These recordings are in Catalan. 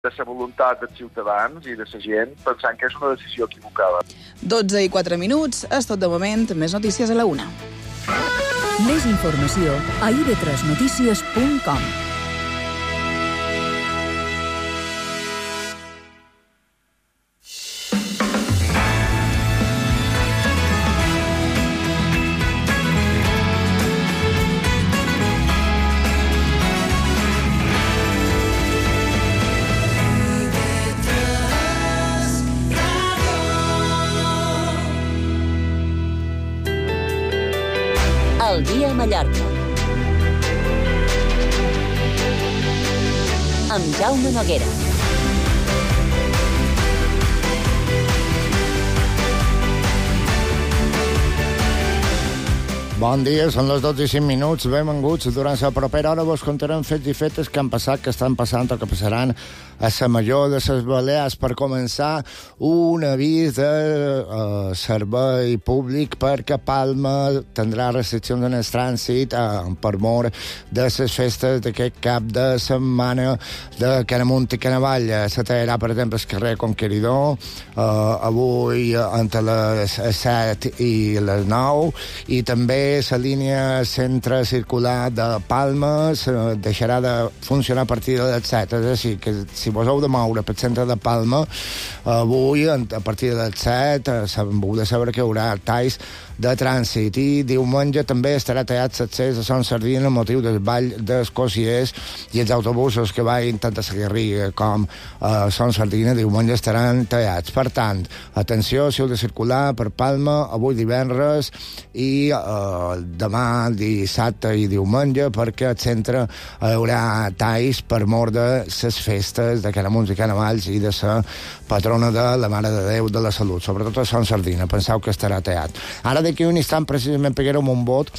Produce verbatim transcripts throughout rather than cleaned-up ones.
de la voluntat dels ciutadans i de la gent, pensant que és una decisió equivocada. dotze i quatre minuts, és tot de moment. Més notícies a la una. Més informació a i ve tres notícies punt com. El dia a Mallorca. Amb Jaume Noguera. Bon dia, són les dotze i cinc minuts, benvinguts. Durant la propera hora vos contarem fets i fetes que han passat, que estan passant o que passaran a la major de les Balears. Per començar, un avís de uh, servei públic perquè Palma tindrà restriccions en el trànsit uh, per mort de les festes d'aquest cap de setmana de Canamunt i Canavall. Se tallarà, per exemple, el carrer Conqueridor uh, avui entre les set i les nou, i també la línia centre circular de Palma deixarà de funcionar a partir de les set. És a dir, que si vos heu de moure pel centre de Palma, avui, a partir de les set, heu de saber que hi haurà talls de trànsit. I diumenge també estarà tallat l'accés a Son Sardina amb motiu del ball dels Cosiers, i els autobusos que vagin tant a Sagarriga com a Son Sardina diumenge estaran tallats. Per tant, atenció, si heu de circular per Palma avui divendres i eh, demà dissabte i diumenge, perquè al centre hi haurà talls per mort de les festes de Canamunt i Canavalls i de la patrona de la Mare de Déu de la Salut, sobretot a Son Sardina. Penseu que estarà tallat. Ara d'aquí un instant precisament peguérem un vot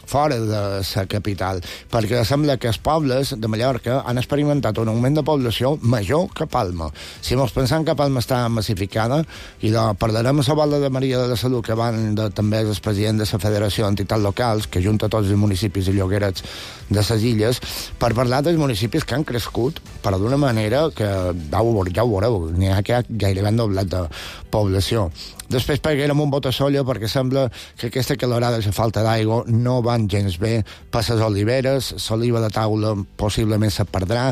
fora de la capital, perquè sembla que els pobles de Mallorca han experimentat un augment de població major que Palma. Si mos pensam que Palma està massificada, i de, parlarem a la Volta de Maria de la Salut, que van de, també és el president de la Federació d'Entitats Locals, que junta tots els municipis i lloguerets de les illes, per parlar dels municipis que han crescut, però d'una manera que ja ho, ja ho veureu, n'hi ha que ha gairebé doblat de població. Després peguérem un bot a solla perquè sembla que aquesta calorada i la falta d'aigua no van gens bé per les oliveres. L'oliva de taula possiblement se perdrà.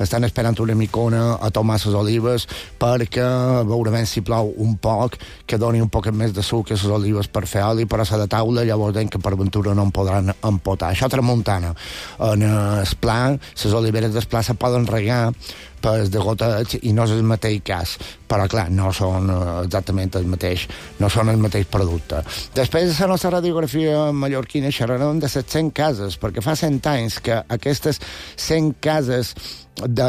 Estan esperant una micona a tomar les olives perquè veurem si plou un poc, que doni un poc més de suc a les olives per fer oli, però la de taula llavors deien que per ventura no en podran empotar. Això tramuntana. En el pla, les oliveres del pla se poden regar pels de goteig i no és el mateix cas, però clar, no són exactament el mateix, no són el mateix producte. Després de la nostra radiografia mallorquina xerrarem de les cent cases, perquè fa cent anys que aquestes cent cases de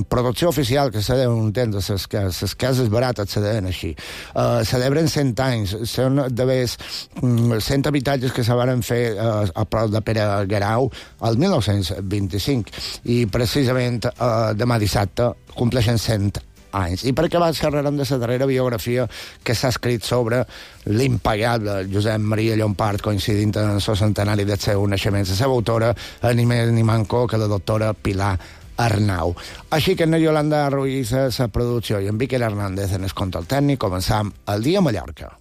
producció oficial que se deuen entendre, les, les cases barates se deien així, uh, celebren cent anys. Són d'haver cent habitatges que se van fer uh, a prop de Pere Guerau el mil nou-cents vint-i-cinc, i precisament uh, demà dissabte compleixen cent anys. I perquè va xerrarem de la darrera biografia que s'ha escrit sobre l'impagable Josep Maria Llompart, coincidint en el centenari del seu naixement. La seva autora, ni més ni manco que la doctora Pilar Arnau. Així que en Yolanda Ruiz a la producció i en Víquer Hernández en el control tècnic, començam el dia a Mallorca.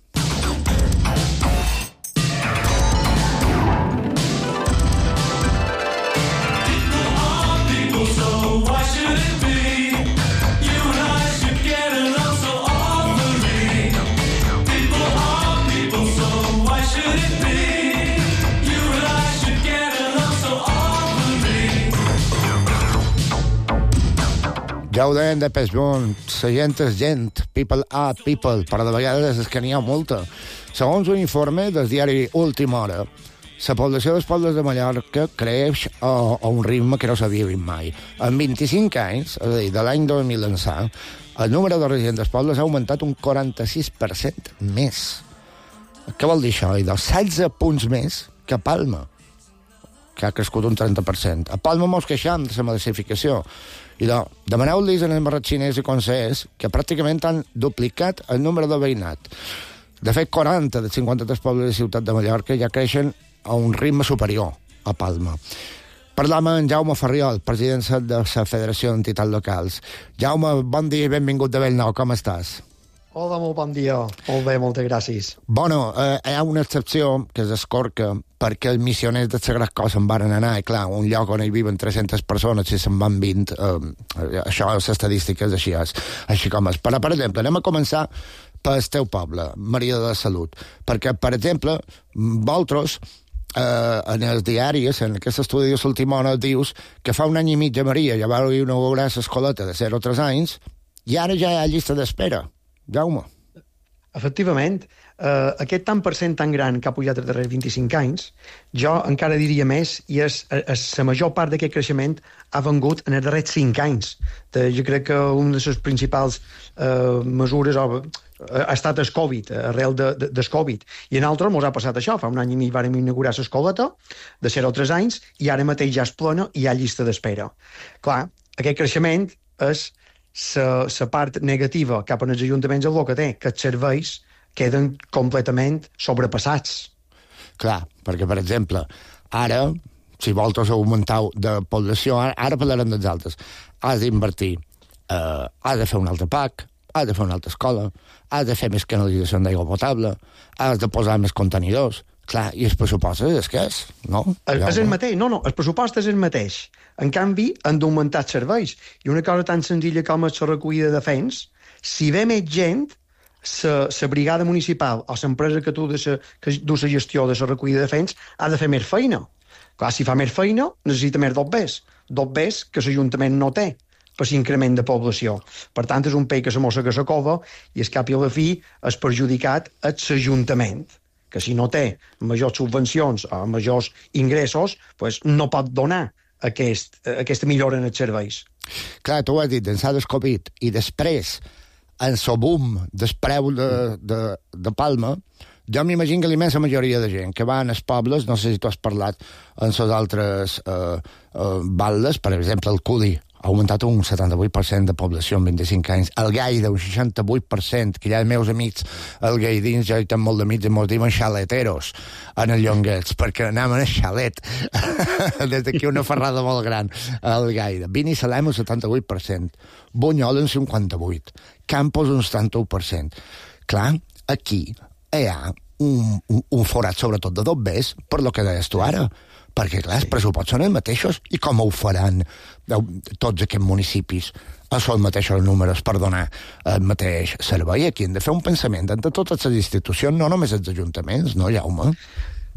Ja ho deien de Peshbon, la gent és gent, people are people, però de vegades és que n'hi ha molta. Segons un informe del diari Última Hora, la població dels pobles de Mallorca creix a, a un ritme que no s'havia vist mai. En vint-i-cinc anys, és a dir, de l'any dos mil ençà, el número de residents dels pobles ha augmentat un quaranta-sis per cent més. Què vol dir això? I dels setze punts més que a Palma, que ha crescut un trenta per cent. A Palma mos queixam de la massificació. I de, demaneu-los en el mercat xinès i consellers que pràcticament han duplicat el número de veïnat. De fet, quaranta dels cinquanta-tres pobles de Ciutat de Mallorca ja creixen a un ritme superior a Palma. Parlam amb en Jaume Ferriol, president de la Federació d'Entitats Locals. Jaume, bon dia i benvingut de Bellnou, com estàs? Hola, molt bon dia. Molt bé, moltes gràcies. Bueno, eh, hi ha una excepció que és Escorca, perquè els missioners de Sagrat Cor se'n van anar, i clar, un lloc on hi viven tres-centes persones, si se'n van vint, eh, això, les estadístiques, així és, així com és. Però, per exemple, anem a començar pel teu poble, Maria de la Salut, perquè, per exemple, vosaltres, eh, en els diaris, en aquest estudi de l'última hora, dius que fa un any i mig a Maria ja vau inaugurar l'escoleta de zero a tres anys, i ara ja hi ha llista d'espera. Jaume. Efectivament, eh, aquest tant per cent tan gran que ha pujat els darrers vint-i-cinc anys, jo encara diria més, i és, és la major part d'aquest creixement ha vengut en els darrers cinc anys. De, jo crec que una de les principals eh, mesures o, ha estat el Covid, arrel de, de, del Covid. I en altres ens ha passat això. Fa un any i mig vàrem inaugurar l'escoleta de zero a tres anys i ara mateix ja és plena i hi ha llista d'espera. Clar, aquest creixement és la part negativa cap als ajuntaments és el que té, que els serveis queden completament sobrepassats. Clar, perquè, per exemple, ara, si vosaltres augmenteu de població, ara, ara parlarem dels altres, has d'invertir, eh, has de fer un altre P A C, has de fer una altra escola, has de fer més canalització d'aigua potable, has de posar més contenidors. Clar, i el pressupost és que és, no? És, és el mateix, no, no, el pressupost és el mateix. En canvi, han d'augmentar els serveis. I una cosa tan senzilla com és la recollida de fens, si ve més gent, la brigada municipal o l'empresa que tu de sa, que du la gestió de la recollida de fens ha de fer més feina. Clar, si fa més feina, necessita més dobbers. Dobbers que l'Ajuntament no té per l'increment de població. Per tant, és un peix que se mossa que se cova i, al cap i a la fi, és perjudicat el l'Ajuntament, que si no té majors subvencions o majors ingressos, pues no pot donar aquest, aquesta millora en els serveis. Clar, tu ho has dit, d'ençà del Covid, i després, en el boom del preu de, de, de Palma, jo m'imagino que la immensa majoria de gent que va als pobles, no sé si tu has parlat en les altres eh, eh, baldes, per exemple, el Cudi ha augmentat un setanta-vuit per cent de població en vint-i-cinc anys, el Gaida un seixanta-vuit per cent, que ja els meus amics, el Gaidins, ja hi tenen molt d'amics i mos diuen xaleteros en el Llonguets, perquè anaven a xalet des d'aquí una ferrada molt gran, el Gaida. Vini Salem un setanta-vuit per cent, Bunyol un cinquanta-vuit per cent, Campos un setanta-u per cent. Clar, aquí hi ha un, un, un forat, sobretot de dobbers, per lo que deies tu ara, perquè, clar, els pressupostos són els mateixos, i com ho faran tots aquests municipis a els mateixos números per donar el mateix servei? Aquí hem de fer un pensament entre totes les institucions, no només els ajuntaments, no, Jaume?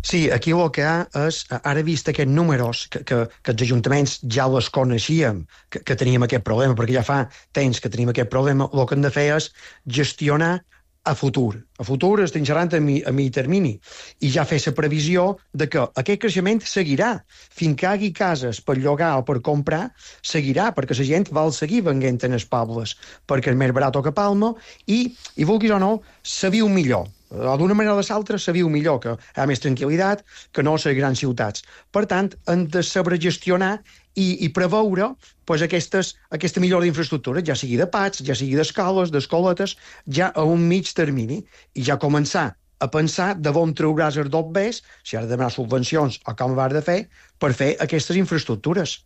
Sí, aquí el que hi ha és, ara vist aquests números, que, que, que els ajuntaments ja les coneixíem, que, que teníem aquest problema, perquè ja fa temps que tenim aquest problema, el que hem de fer és gestionar a futur. A futur estem xerrant a mi, a mi termini. I ja fer la previsió de que aquest creixement seguirà. Fins que hi hagi cases per llogar o per comprar, seguirà, perquè la gent vol seguir venint en els pobles, perquè és més barat que Palma, i, i vulguis o no, se viu millor. O d'una manera o de l'altra se viu millor, que hi ha més tranquil·litat que no a les grans ciutats. Per tant, hem de saber gestionar i, i preveure pues, aquestes, aquesta millora d'infraestructures, ja sigui de P A Cs, ja sigui d'escoles, d'escoletes, ja a un mig termini, i ja començar a pensar de on trauràs els dobbers, si has de demanar subvencions o com ho has de fer, per fer aquestes infraestructures.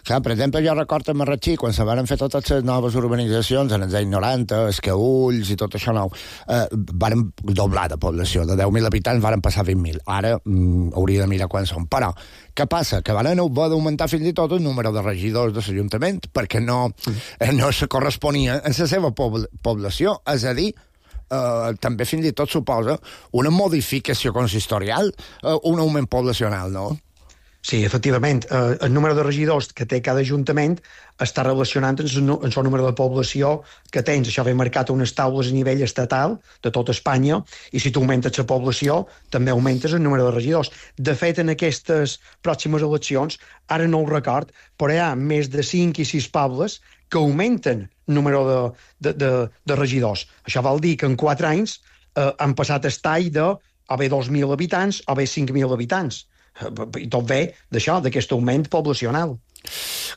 Clar, per exemple, jo recordo a Marratxí, quan se van fer totes les noves urbanitzacions, en els anys noranta, Escaulls i tot això nou, eh, varen doblar de població, de deu mil habitants varen passar a vint mil. Ara mm, hauria de mirar quan són. Però, què passa? Que van haver d'augmentar fins i tot el número de regidors de l'Ajuntament, perquè no, eh, no se corresponia en la seva pobl població. És a dir, eh, també fins i tot suposa una modificació consistorial, eh, un augment poblacional, no? Sí, efectivament. Eh, el número de regidors que té cada ajuntament està relacionant amb el seu número de població que tens. Això ve marcat a unes taules a nivell estatal de tota Espanya, i si tu augmentes la població, també augmentes el número de regidors. De fet, en aquestes pròximes eleccions, ara no ho record, però hi ha més de cinc i sis pobles que augmenten el número de, de, de, de regidors. Això vol dir que en quatre anys eh, han passat el tall de o bé dos mil habitants o bé cinc mil habitants. I tot ve d'això, d'aquest augment poblacional.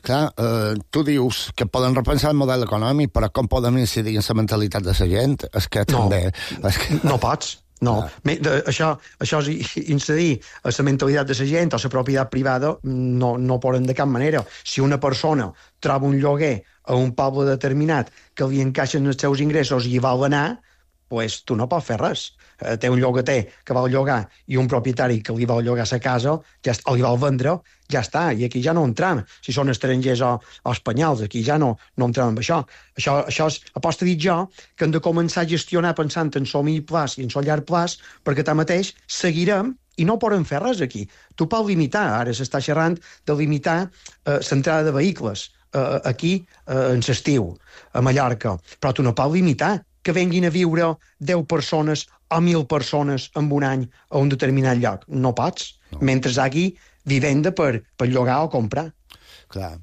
Clar, eh, tu dius que poden repensar el model econòmic, però com poden incidir en la mentalitat de la gent? És que també... No, és que... no pots. No, Ah. Me, de, això, això és incidir a la mentalitat de la gent o la propietat privada, no, no poden de cap manera. Si una persona troba un lloguer a un poble determinat que li encaixen els seus ingressos i hi vol anar, pues tu no pots fer res. Eh, té un llogater que vol llogar i un propietari que li vol llogar la casa ja, o li vol vendre, ja està, i aquí ja no entram. Si són estrangers o, o espanyols, aquí ja no, no entrem amb això. Això, això és, aposta dit jo, que hem de començar a gestionar pensant en el mig plaç i en el llarg plaç, perquè tanmateix seguirem i no podem fer res aquí. Tu pots limitar, ara s'està xerrant de limitar eh, l'entrada de vehicles eh, aquí eh, en l'estiu, a Mallorca, però tu no pots limitar que venguin a viure deu persones o mil persones en un any a un determinat lloc. No pots, no. Mentre hi hagi vivenda per, per llogar o comprar. Clar.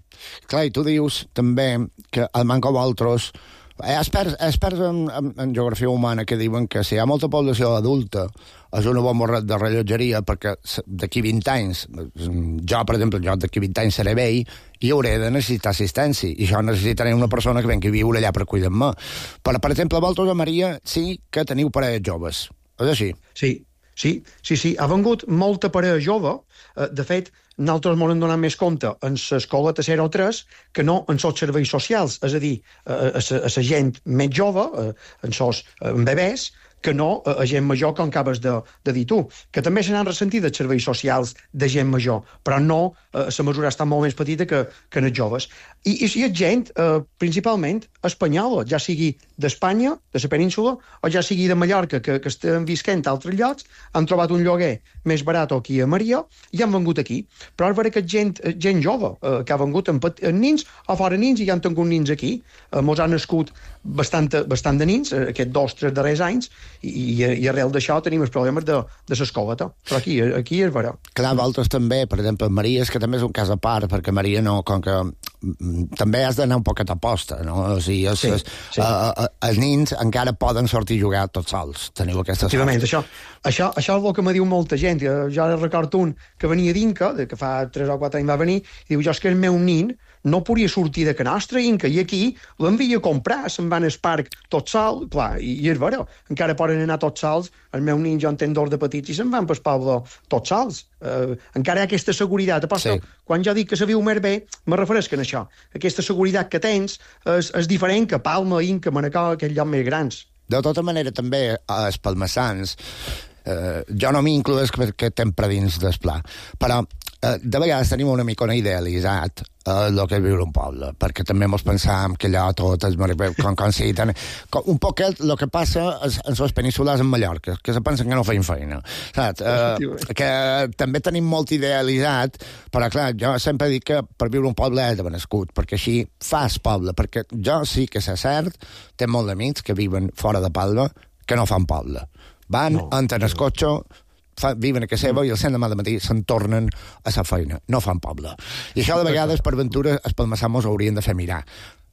Clar, i tu dius també que el manco d'altres... Hi ha experts, experts en, en, en geografia humana que diuen que si hi ha molta població adulta és una bomba de rellotgeria perquè d'aquí vint anys, jo, per exemple, jo d'aquí vint anys seré vell i hauré de necessitar assistència i això necessitaré una persona que vengui a viure allà per cuidar-me. Però, per exemple, vosaltres a Maria sí que teniu parelles joves. És així? Sí, sí, sí, sí. Ha vengut molta parella jove. De fet, nosaltres ens hem donat més compte en l'escola tercera o tres que no en els serveis socials, és a dir, a la gent més jove, en els bebès, que no a gent major, com acabes de, de dir tu, que també se n'han ressentit els serveis socials de gent major, però no, eh, la mesura està molt més petita que, que en els joves. I, i si és gent, eh, principalment, espanyola, ja sigui d'Espanya, de la península, o ja sigui de Mallorca, que, que estan visquent a altres llocs, han trobat un lloguer més barat aquí a Maria i han vengut aquí. Però és vera que gent, gent jove, eh, que ha vengut en, en nins o fora nins i ja han tingut nins aquí. Eh, mos han nascut bastant, bastant de nins, eh, aquests dos, tres darrers anys, i, i, i arrel d'això tenim els problemes de, de l'escoleta. Però aquí, aquí és vera. Clar, vosaltres també, per exemple, Maria, és que també és un cas a part, perquè Maria no, com que també has d'anar un poquet a posta, no? O sigui, els, sí, sí. Uh, uh, els nins encara poden sortir a jugar tots sols. Teniu aquesta sort. Això, això, això és el que me diu molta gent. Jo ara recordo un que venia d'Inca, que fa tres o quatre anys va venir, i diu, jo és que el meu nin no podia sortir de que nostra Inca, i aquí l'envia a comprar, se'n van al parc tot sol, clar, i, i és vera, encara poden anar tots sols, el meu nin jo en tenc dos de petits i se'n van pel poble tots sols. Uh, encara hi ha aquesta seguretat. Aposta, sí. Quan jo dic que se viu més bé, me refereix a això. Aquesta seguretat que tens és, és diferent que Palma, Inca, Manacor, aquells llocs més grans. De tota manera, també, els palmassans, eh, jo no m'incloes que, que estem per dins del pla, però eh, de vegades tenim una mica idealitzat eh, el que és viure un poble, perquè també mos pensam que allò tot és com, com si ten... com, un poc el que passa en les penínsules en Mallorca, que se pensen que no feien feina, saps? Eh, que també tenim molt idealitzat, però clar, jo sempre dic que per viure un poble és d'haver nascut, perquè així fas poble, perquè jo sí que sé cert, té molt d'amics que viven fora de Palma, que no fan poble. Van, no, entren al cotxe, fa, viven a casa seva i el cent demà de matí se'n tornen a sa feina. No fan poble. I això de vegades, per ventura, els palmassans haurien de fer mirar.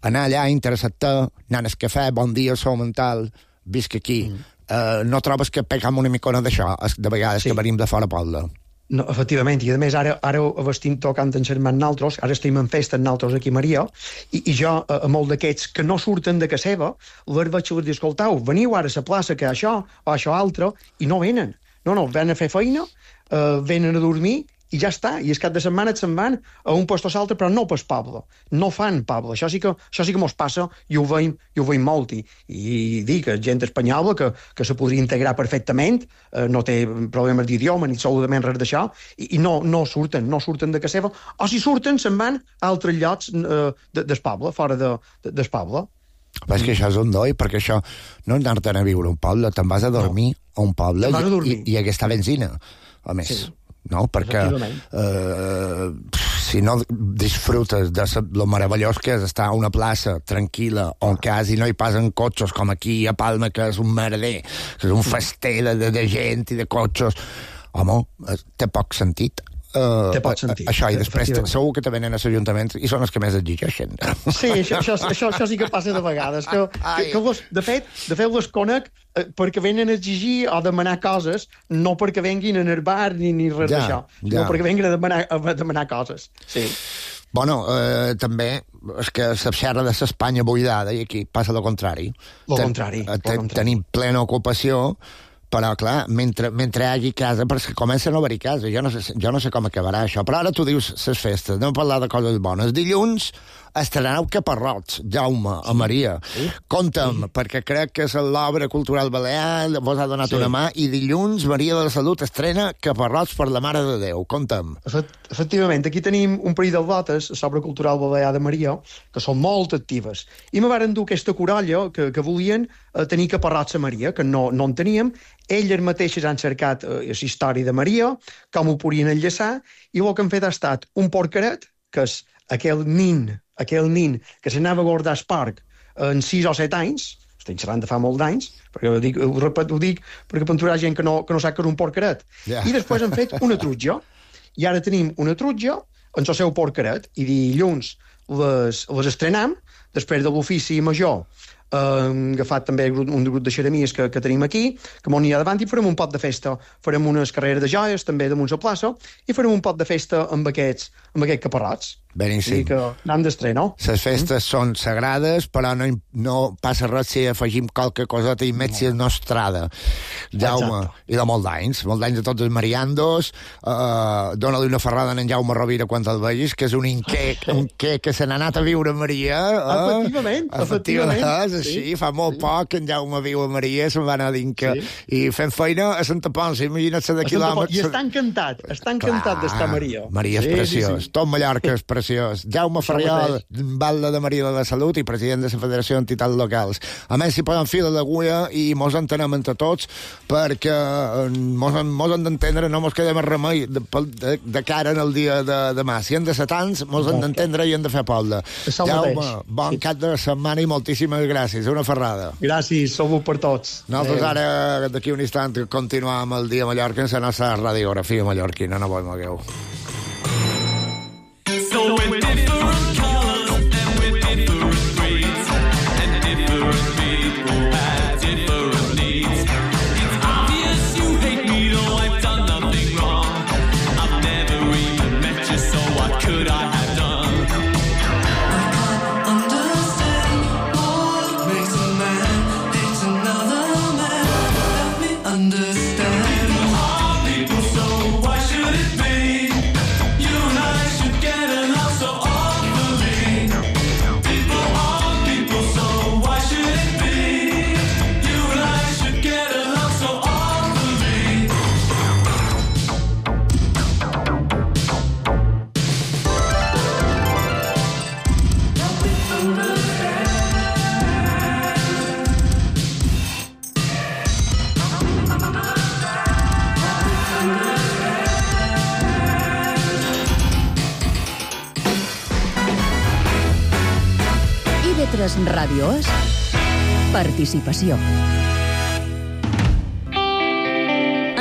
Anar allà, interessar-te, anar al cafè, bon dia, sou mental, visc aquí. Mm. Uh, no trobes que pegam una micona d'això, de vegades, sí, que venim de fora poble? No, efectivament, i a més ara, ara estem tocant en germans naltros, ara estem en festa en naltros aquí a Maria, i, i jo, a, a molt d'aquests que no surten de casa seva, les vaig a dir, escoltau, veniu ara a la plaça que això o això altre, i no venen. No, no, venen a fer feina, eh, venen a dormir, i ja està, i el cap de setmana se'n van a un lloc o l'altre, però no pas poble. No fan poble. Això sí que, això sí que mos passa i ho veiem, i ho veiem molt. I, i dic que gent espanyola que, que se podria integrar perfectament, eh, no té problemes d'idioma ni absolutament res d'això, i, i no, no surten, no surten de casa seva, o si surten se'n van a altres llocs eh, de, del poble, fora de, de, del poble. Però és que això és un doi, perquè això no és anar-te'n a viure a un poble, te'n vas a dormir no. a un poble i, i, i aquesta benzina, a més. Sí. No? Perquè eh, si no disfrutes de lo meravellós que és estar a una plaça tranquil·la on quasi no hi passen cotxes com aquí a Palma, que és un merder, que és un fester de, de, de gent i de cotxes, home, té poc sentit. Uh, té pot sentir. Això, i després segur que te venen als ajuntaments i són els que més exigeixen. Sí, això, això, això, això sí que passa de vegades. Que, que, que les, de, fet, de fet, les conec eh, perquè venen a exigir o demanar coses, no perquè venguin en el bar ni, ni res ja, d'això, sinó ja. perquè venguin a demanar, a demanar coses. Sí. Bueno, eh, també és que se xerra de l'Espanya buidada i aquí passa el contrari. Lo contrari. Ten, ten, tenim plena ocupació, però, clar, mentre, mentre hi hagi casa, perquè comencen a haver-hi casa, jo no, sé, jo no sé com acabarà això, però ara tu dius les festes, anem a parlar de coses bones. Dilluns estreneu Caparrots, Jaume, a Maria. Sí. Conta'm, sí. perquè crec que és l'obra cultural balear, vos ha donat sí. una mà, i dilluns Maria de la Salut estrena Caparrots per la Mare de Déu. Conta'm. Efectivament, aquí tenim un parell de botes, a l'obra cultural balear de Maria, que són molt actives. I me varen dur aquesta corolla que, que volien eh, tenir Caparrots a Maria, que no, no en teníem. Elles mateixes han cercat eh, la història de Maria, com ho podien enllaçar, i el que han fet ha estat un porqueret, que és aquell nin, aquell nin que s'anava a guardar al parc en sis o set anys, estem xerrant de fa molt d'anys, perquè ho dic, ho, repet, ho dic perquè per gent que no, que no sap que és un porqueret. Yeah. I després han fet una trutja. I ara tenim una trutja en el seu porqueret, i dilluns les, les estrenem, després de l'ofici major. Hem agafat també un grup de xeremies que, que tenim aquí, que m'ho anirà davant, i farem un pot de festa. Farem unes carreres de joies, també damunt la plaça, i farem un pot de festa amb aquests, amb aquests caparrots. Beníssim. I que n'hem d'estrenar. Les festes mm. són sagrades, però no, no passa res si afegim qualque coseta i més si és nostrada. Jaume, exacte. I de molt d'anys, molt d'anys de tots els mariandos, uh, dona-li una ferrada a en Jaume Rovira quan el vegis, que és un inqué, un què que se n'ha anat a viure a Maria. Uh, efectivament, efectivament. És així, sí, fa molt sí. poc que en Jaume viu a Maria, se'n va anar a Dinca, sí. i fent feina a Santa Ponsa, imagina't-se de quilòmetres. I està encantat, està encantat Clar, d'estar a Maria. Maria és sí, preciós, sí, sí. tot Mallorca és preciós. Jaume Ferriol, batlle de Maria de la Salut i president de la Federació d'Entitats Locals. A més, s'hi poden fil a l'agulla i mos entenem entre tots, perquè mos, mos hem d'entendre, no mos quedem a remei de, de, de cara en el dia de demà. Si hem de ser tants, mos hem d'entendre i hem de fer poble. Jaume, bon cap de setmana i moltíssimes gràcies. Una ferrada. Gràcies, salut per tots. Nosaltres ara, d'aquí un instant, continuem amb el Dia Mallorca en la nostra radiografia mallorquina. No vos mogueu. So with different colors and with different breeds and different people have different needs. It's obvious you hate me, though I've done nothing wrong. I've never even met you, so what could I have done? I can't understand what makes a man hate another man. Help me understand. People are people, so why should it be? You and I should get so awfully. People are people, so why should it be? You and I should get along so awfully. Help me understand. I V tres Ràdio és participació.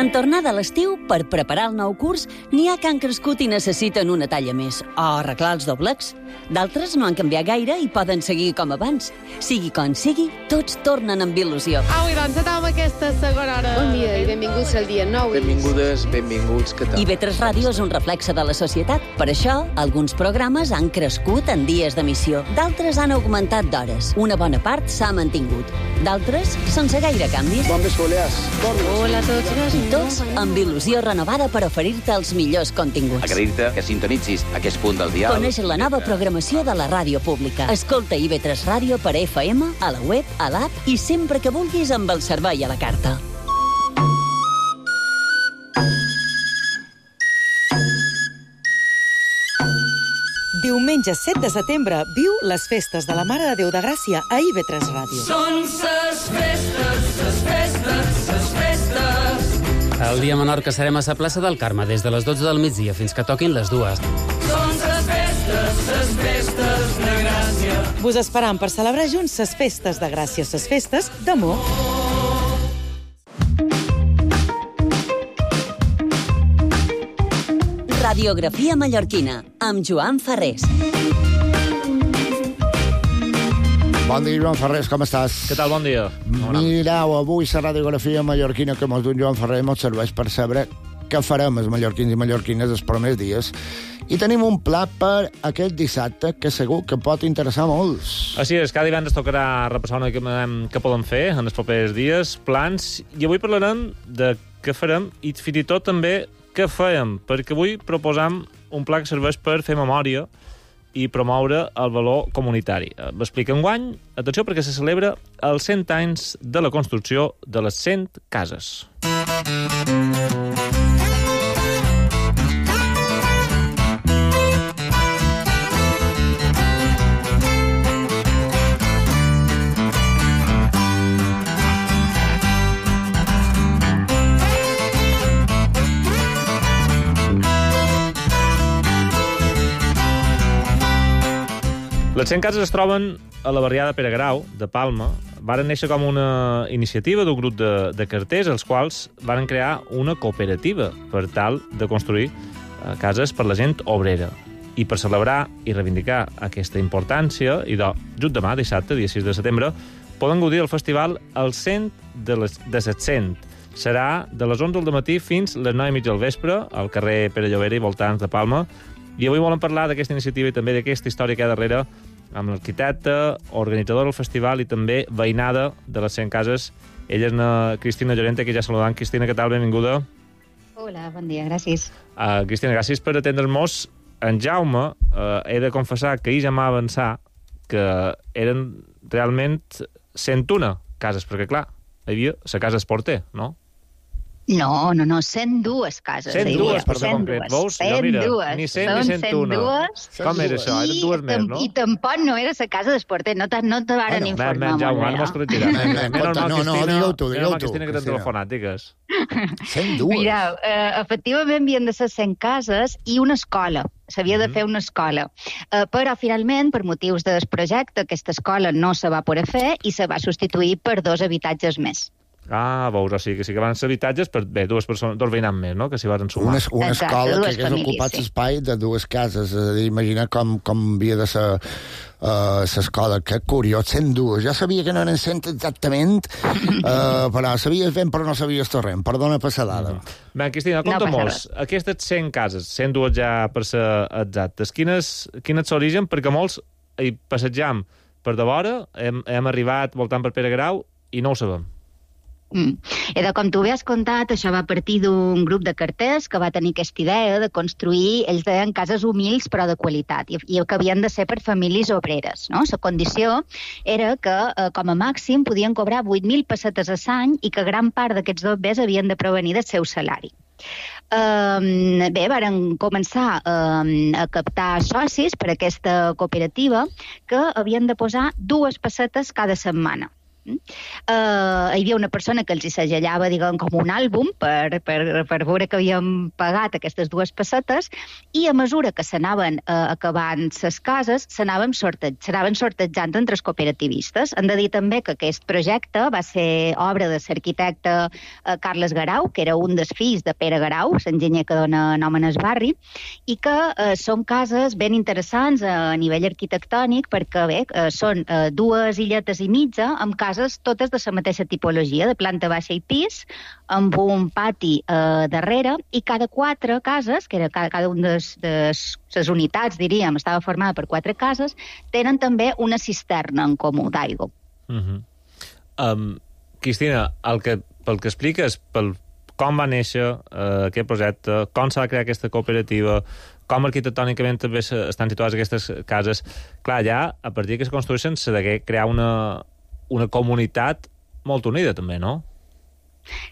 En tornada a l'estiu, per preparar el nou curs, n'hi ha que han crescut i necessiten una talla més, o arreglar els doblecs. D'altres no han canviat gaire i poden seguir com abans. Sigui com sigui, tots tornen amb il·lusió. Au, i doncs, anem aquesta segona hora. Bon dia i benvinguts al dia nou. Benvingudes, benvinguts, què tal? I V tres Ràdio és un reflexe de la societat. Per això, alguns programes han crescut en dies d'emissió. D'altres han augmentat d'hores. Una bona part s'ha mantingut. D'altres, sense gaire canvis. Bon vespre, Hola a tots. I tots amb il·lusió renovada per oferir-te els millors continguts. Agrair-te que sintonitzis aquest punt del dial. Coneix la nova programació de la ràdio pública. Escolta I V tres Ràdio per F M, a la web, a l'app i sempre que vulguis amb el servei a la carta. Diumenge set de setembre viu les festes de la Mare de Déu de Gràcia a I V tres Ràdio. Són ses festes, ses festes, ses festes. El dia menor que serem a la plaça del Carme des de les dotze del migdia fins que toquin les dues. Són ses festes, ses festes de Gràcia. Vos esperam per celebrar junts ses festes de Gràcia, ses festes d'amor. Radiografia mallorquina, amb Joan Ferrés. Bon dia, Joan Ferrés, com estàs? Què tal, bon dia? Mireu, avui la radiografia mallorquina que mos d'un Joan Ferrés mos serveix per saber què farem els mallorquins i mallorquines els primers dies. I tenim un pla per aquest dissabte que segur que pot interessar molts. Així és, cada divendres tocarà repassar una mica què podem fer en els propers dies, plans, i avui parlarem de què farem i fins i tot també què fèiem, perquè avui proposam un pla que serveix per fer memòria i promoure el valor comunitari. M'explica enguany, atenció, perquè se celebra els cent anys de la construcció de les cent cases. Les cent cases es troben a la barriada Pere Grau, de Palma. Varen néixer com una iniciativa d'un grup de, de carters, els quals varen crear una cooperativa per tal de construir eh, cases per la gent obrera. I per celebrar i reivindicar aquesta importància, i de, just demà, dissabte, dia sis de setembre, poden gaudir del festival el cent de les de set cents. Serà de les onze del matí fins les nou i mitja del vespre, al carrer Pere Llobera i voltants de Palma. I avui volem parlar d'aquesta iniciativa i també d'aquesta història que hi ha darrere amb l'arquitecte, organitzador del festival i també veïnada de les cent cases. Ella és una Cristina Llorente, que ja saludant. Cristina, què tal? Benvinguda. Hola, bon dia, gràcies. Uh, Cristina, gràcies per atendre'ns. En Jaume, uh, he de confessar que ell ja m'ha avançat que eren realment cent una cases, perquè, clar, hi havia la casa Esporter, no? No, no, no, cent dues cases. cent dues, per ser concret. Veus? Jo, mira, ni cent ni cent una. Com era això? Eren dues més, no? I tampoc no era la casa d'Esporter, no te, no te varen bueno, informar. Ben, Jaume, ara mos corregirà. No, no, digueu tu, digueu tu. Cristina, que t'han telefonat, digues. cent dues. Mira, eh, efectivament havien de ser cent cases i una escola. S'havia de fer una escola. Uh, però, finalment, per motius del projecte, aquesta escola no se va poder fer i se va substituir per dos habitatges més. Ah, veus, o sigui, que sí que van ser habitatges per, bé, dues persones, dos veïnants més, no?, que s'hi van sumar. Una, una Exacte, escola dues que hagués famílies, ocupat sí. l'espai de dues cases. És a dir, imagina com, com havia de ser l'escola. Uh, que curiós, cent dues. Ja sabia que no eren cent exactament, uh, però sabies ben, però no sabies torrent. Perdona per la dada. Mm. Bé, Cristina, compta-mos, no aquestes cent cases, cent dues ja per ser exactes, quines, quines és l'origen? Perquè molts hi passejam per de vora, hem, hem arribat voltant per Pere Grau i no ho sabem. Mm. I de com tu bé has contat, això va partir d'un grup de carters que va tenir aquesta idea de construir, ells deien cases humils però de qualitat, i, i que havien de ser per famílies obreres, no? La condició era que, eh, com a màxim, podien cobrar vuit mil pessetes a l'any i que gran part d'aquests dobbers havien de provenir del seu salari. Um, bé, varen començar um, a captar socis per a aquesta cooperativa que havien de posar dues pessetes cada setmana. Uh, hi havia una persona que els hi segellava, diguem, com un àlbum per, per, per veure que havien pagat aquestes dues pessetes, i a mesura que s'anaven uh, acabant les cases, s'anaven sortej s'anaven sortejant entre els cooperativistes. Hem de dir també que aquest projecte va ser obra de l'arquitecte uh, Carles Garau, que era un dels fills de Pere Garau, l'enginyer que dona nom en el barri, i que uh, són cases ben interessants uh, a nivell arquitectònic, perquè bé, uh, són uh, dues illetes i mitja amb cases totes de la mateixa tipologia, de planta baixa i pis, amb un pati eh, darrere, i cada quatre cases, que era cada, cada una de les unitats, diríem, estava formada per quatre cases, tenen també una cisterna en comú d'aigua. Uh -huh. um, Cristina, el que, pel que expliques, pel com va néixer eh, aquest projecte, com s'ha de crear aquesta cooperativa, com arquitectònicament també estan situades aquestes cases, clar, ja, a partir que es construeixen, s'ha de crear una una comunitat molt unida, també, no?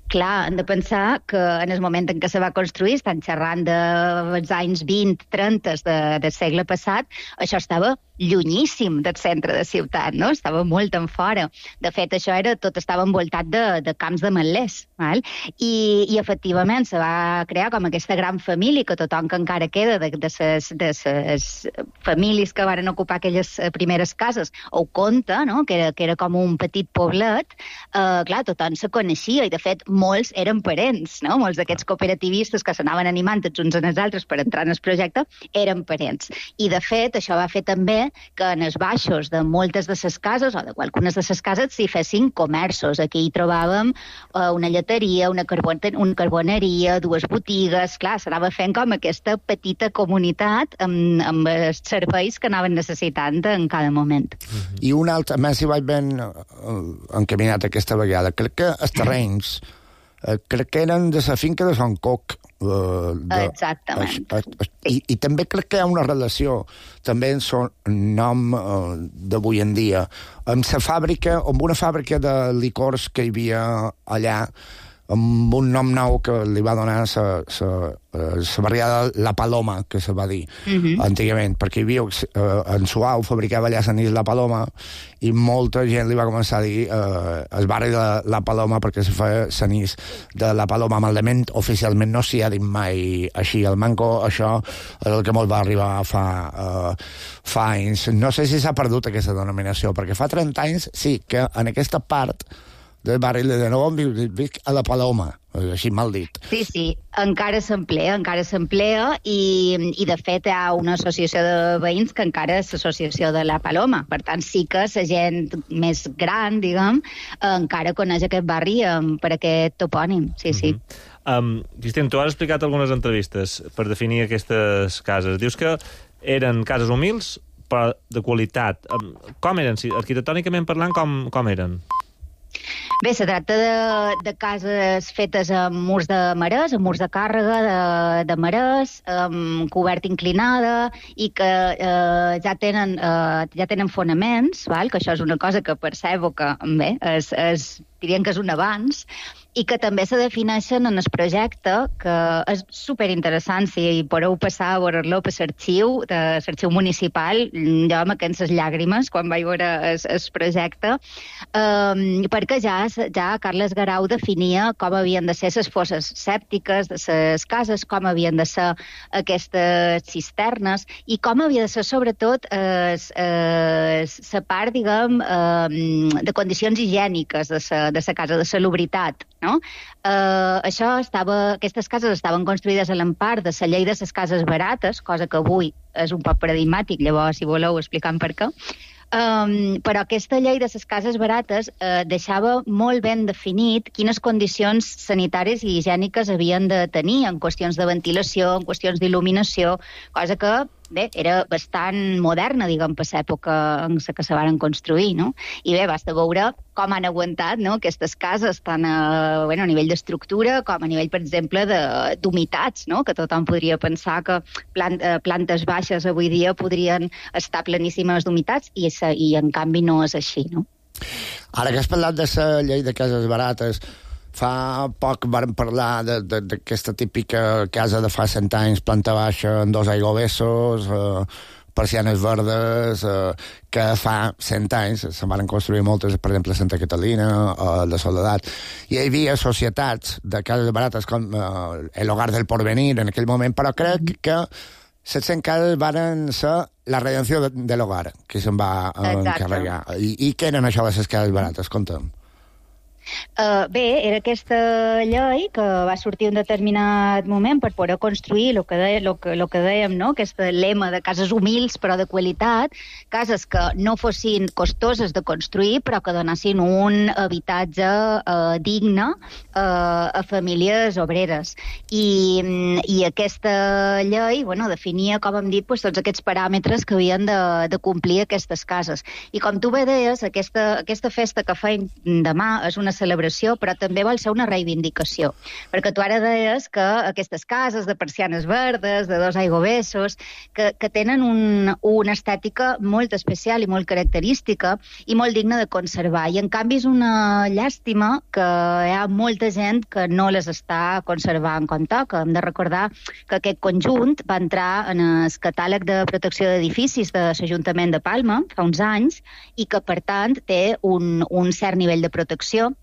Clar, hem de pensar que en el moment en què se va construir, estan xerrant dels anys vint, trenta de, del segle passat, això estava llunyíssim del centre de ciutat, no? Estava molt en fora. De fet, això era, tot estava envoltat de, de camps de metlers, val? I, i efectivament se va crear com aquesta gran família, que tothom que encara queda de, de, ses, de ses famílies que varen ocupar aquelles primeres cases, ho conta, no? Que era, que era com un petit poblet. Uh, clar, tothom se coneixia, i de fet molts eren parents, no? Molts d'aquests cooperativistes que s'anaven animant tots uns en els altres per entrar en el projecte eren parents. I, de fet, això va fer també que en els baixos de moltes de les cases, o de algunes de les cases, s'hi fessin comerços. Aquí hi trobàvem eh, una lleteria, una, carbon una carboneria, dues botigues. Clar, s'anava fent com aquesta petita comunitat amb, amb els serveis que anaven necessitant en cada moment. I un altre, més si vaig ben encaminat aquesta vegada, crec que els terrenys, eh, crec que eren de la finca de Sant Coc. Eh, de, Exactament. Es, es, i, I també crec que hi ha una relació, també en son nom eh, d'avui en dia, amb la fàbrica, amb una fàbrica de licors que hi havia allà, amb un nom nou que li va donar la barriada La Paloma, que se va dir uh-huh. antigament, perquè hi havia, eh, en Suau fabricava allà l'anís La Paloma i molta gent li va començar a dir eh, el barri de La Paloma perquè se feia l'anís de La Paloma. Malament, oficialment no s'hi ha dit mai així. El manco, això és el que molt va arribar fa, eh, fa anys. No sé si s'ha perdut aquesta denominació, perquè fa trenta anys sí que en aquesta part del barri de nou vic a La Paloma, així mal dit. Sí, sí, encara s'emplea, encara s'emplea i, i de fet hi ha una associació de veïns que encara és l'associació de La Paloma. Per tant, sí que la gent més gran, diguem, encara coneix aquest barri um, per aquest topònim, sí, sí. Uh-huh. um, Cristian, tu has explicat algunes entrevistes per definir aquestes cases. Dius que eren cases humils, però de qualitat. Um, com eren? Arquitectònicament parlant, com, com eren? Bé, se tracta de, de cases fetes amb murs de marès, amb murs de càrrega de, de marès, amb coberta inclinada i que eh, ja, tenen, eh, ja tenen fonaments, val? Que això és una cosa que percebo que, bé, és, és, dirien que és un avanç, i que també se defineixen en el projecte, que és superinteressant. Si podeu passar a veure-lo per l'arxiu, de l'arxiu municipal, jo amb aquestes llàgrimes quan vaig veure el, el projecte, um, perquè ja, ja Carles Garau definia com havien de ser les fosses sèptiques de les cases, com havien de ser aquestes cisternes i com havia de ser, sobretot, la part, diguem, um, de condicions higièniques de la casa, de salubritat. No? Uh, això estava, aquestes cases estaven construïdes a l'empar de la llei de les cases barates, cosa que avui és un poc paradigmàtic, llavors, si voleu, explicant per què. Um, però aquesta llei de les cases barates uh, deixava molt ben definit quines condicions sanitàries i higièniques havien de tenir en qüestions de ventilació, en qüestions d'il·luminació, cosa que, bé, era bastant moderna, diguem, per l'època en la que se van construir, no? I bé, basta veure com han aguantat, no?, aquestes cases, tant a, bueno, a nivell d'estructura com a nivell, per exemple, d'humitats, no?, que tothom podria pensar que plant, eh, plantes baixes avui dia podrien estar pleníssimes d'humitats i, i en canvi no és així, no? Ara que has parlat de la llei de cases barates, fa poc vam parlar d'aquesta típica casa de fa cent anys, planta baixa, amb dos aiguavessos, eh, persianes verdes, eh, que fa cent anys se van construir moltes, per exemple, a Santa Catalina, a la Soledat. I hi havia societats de cases barates com eh, el Hogar del Porvenir en aquell moment, però crec que les cent cases van ser la redenció de, de l'hogar, que se'n va eh, encarregar. I, I què eren això de les cases barates? Conta'm. Uh, bé, era aquesta llei que va sortir un determinat moment per poder construir el que, de, lo que, lo que dèiem, no?, aquest lema de cases humils però de qualitat, cases que no fossin costoses de construir però que donessin un habitatge uh, digne uh, a famílies obreres. I, i aquesta llei, bueno, definia, com hem dit, pues, tots aquests paràmetres que havien de, de complir aquestes cases. I com tu bé deies, aquesta, aquesta festa que feim demà és una celebració, però també vol ser una reivindicació. Perquè tu ara deies que aquestes cases de persianes verdes, de dos aiguavessos, que, que tenen un, una estètica molt especial i molt característica i molt digna de conservar. I en canvi és una llàstima que hi ha molta gent que no les està conservant com toca. Hem de recordar que aquest conjunt va entrar en el catàleg de protecció d'edificis de l'Ajuntament de Palma fa uns anys i que, per tant, té un, un cert nivell de protecció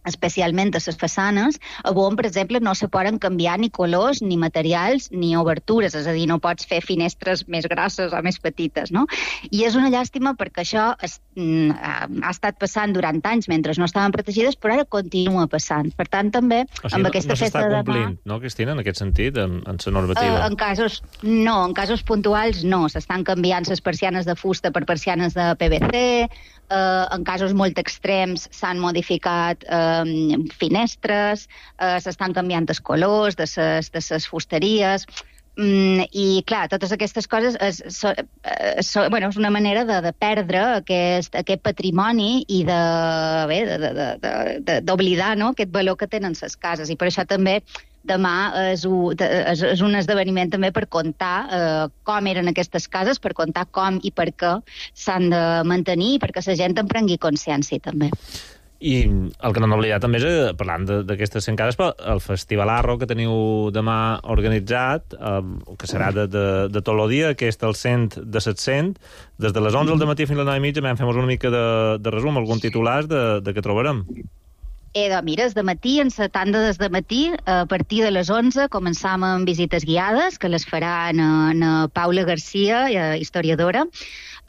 especialment a les façanes, on, per exemple, no se poden canviar ni colors, ni materials, ni obertures, és a dir, no pots fer finestres més grosses o més petites, no? I és una llàstima perquè això es, mm, ha estat passant durant anys mentre no estaven protegides, però ara continua passant. Per tant, també, o sigui, amb no, aquesta no festa de demà... No s'està complint, no, Cristina, en aquest sentit, en, en la normativa? Uh, en casos, no, en casos puntuals no. S'estan canviant les persianes de fusta per persianes de P V C, uh, en casos molt extrems s'han modificat uh, finestres, uh, s'estan canviant els colors de ses, de ses fusteries, mm, i clar, totes aquestes coses és, so, uh, so, bueno, és una manera de, de perdre aquest, aquest patrimoni i de, bé, de, de, de, de, d'oblidar, no?, aquest valor que tenen les cases, i per això també demà és un, és, és un esdeveniment també per contar eh, com eren aquestes cases, per contar com i per què s'han de mantenir i perquè la gent en prengui consciència també. I el que no hem oblidat també és, parlant d'aquestes cent cases, però el Festival Arro que teniu demà organitzat, eh, que serà de, de, de tot el dia, que és el cent de set-cents, des de les onze del matí fins a les nou i mitja, vam fer una mica de, de resum, algun titulars de, de què trobarem. Eh, doncs mira, és de matí, en la tanda des de matí, a partir de les onze, començam amb visites guiades, que les farà na, na Paula Garcia, historiadora,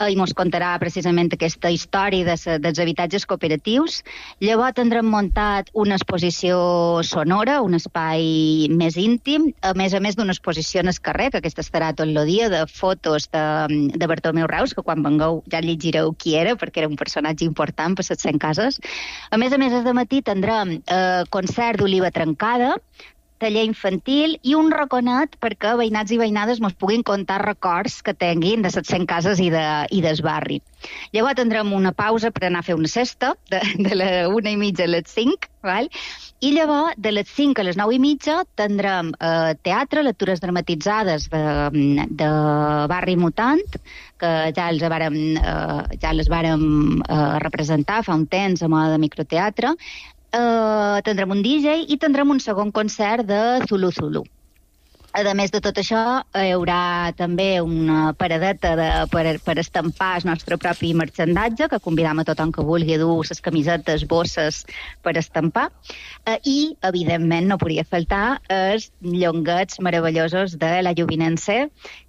i mos contarà precisament aquesta història de sa, dels habitatges cooperatius. Llavors tindrem muntat una exposició sonora, un espai més íntim, a més a més d'una exposició en el carrer, que aquesta estarà tot el dia, de fotos de, de Bartomeu Reus, que quan vengueu ja llegireu qui era, perquè era un personatge important per les cent cases. A més a més, des de matí tindrem eh, concert d'Oliva Trencada, taller infantil i un raconet perquè veïnats i veïnades mos puguin contar records que tinguin de les cent cases i, de, i del barri. Llavors tindrem una pausa per anar a fer una sesta, de, de la una i mitja a les cinc, val? I llavors de les cinc a les nou i mitja tindrem eh, teatre, lectures dramatitzades de, de Barri Mutant, que ja, els vàrem, eh, ja les vàrem eh, representar fa un temps a mode de microteatre. Uh, tindrem un D J i tindrem un segon concert de Zulu Zulu. A més de tot això, hi haurà també una paradeta de, per, per estampar el nostre propi marxandatge, que convidam a tothom que vulgui dur les camisetes, bosses per estampar. Uh, I, evidentment, no podria faltar els llonguets meravellosos de la Llovinense,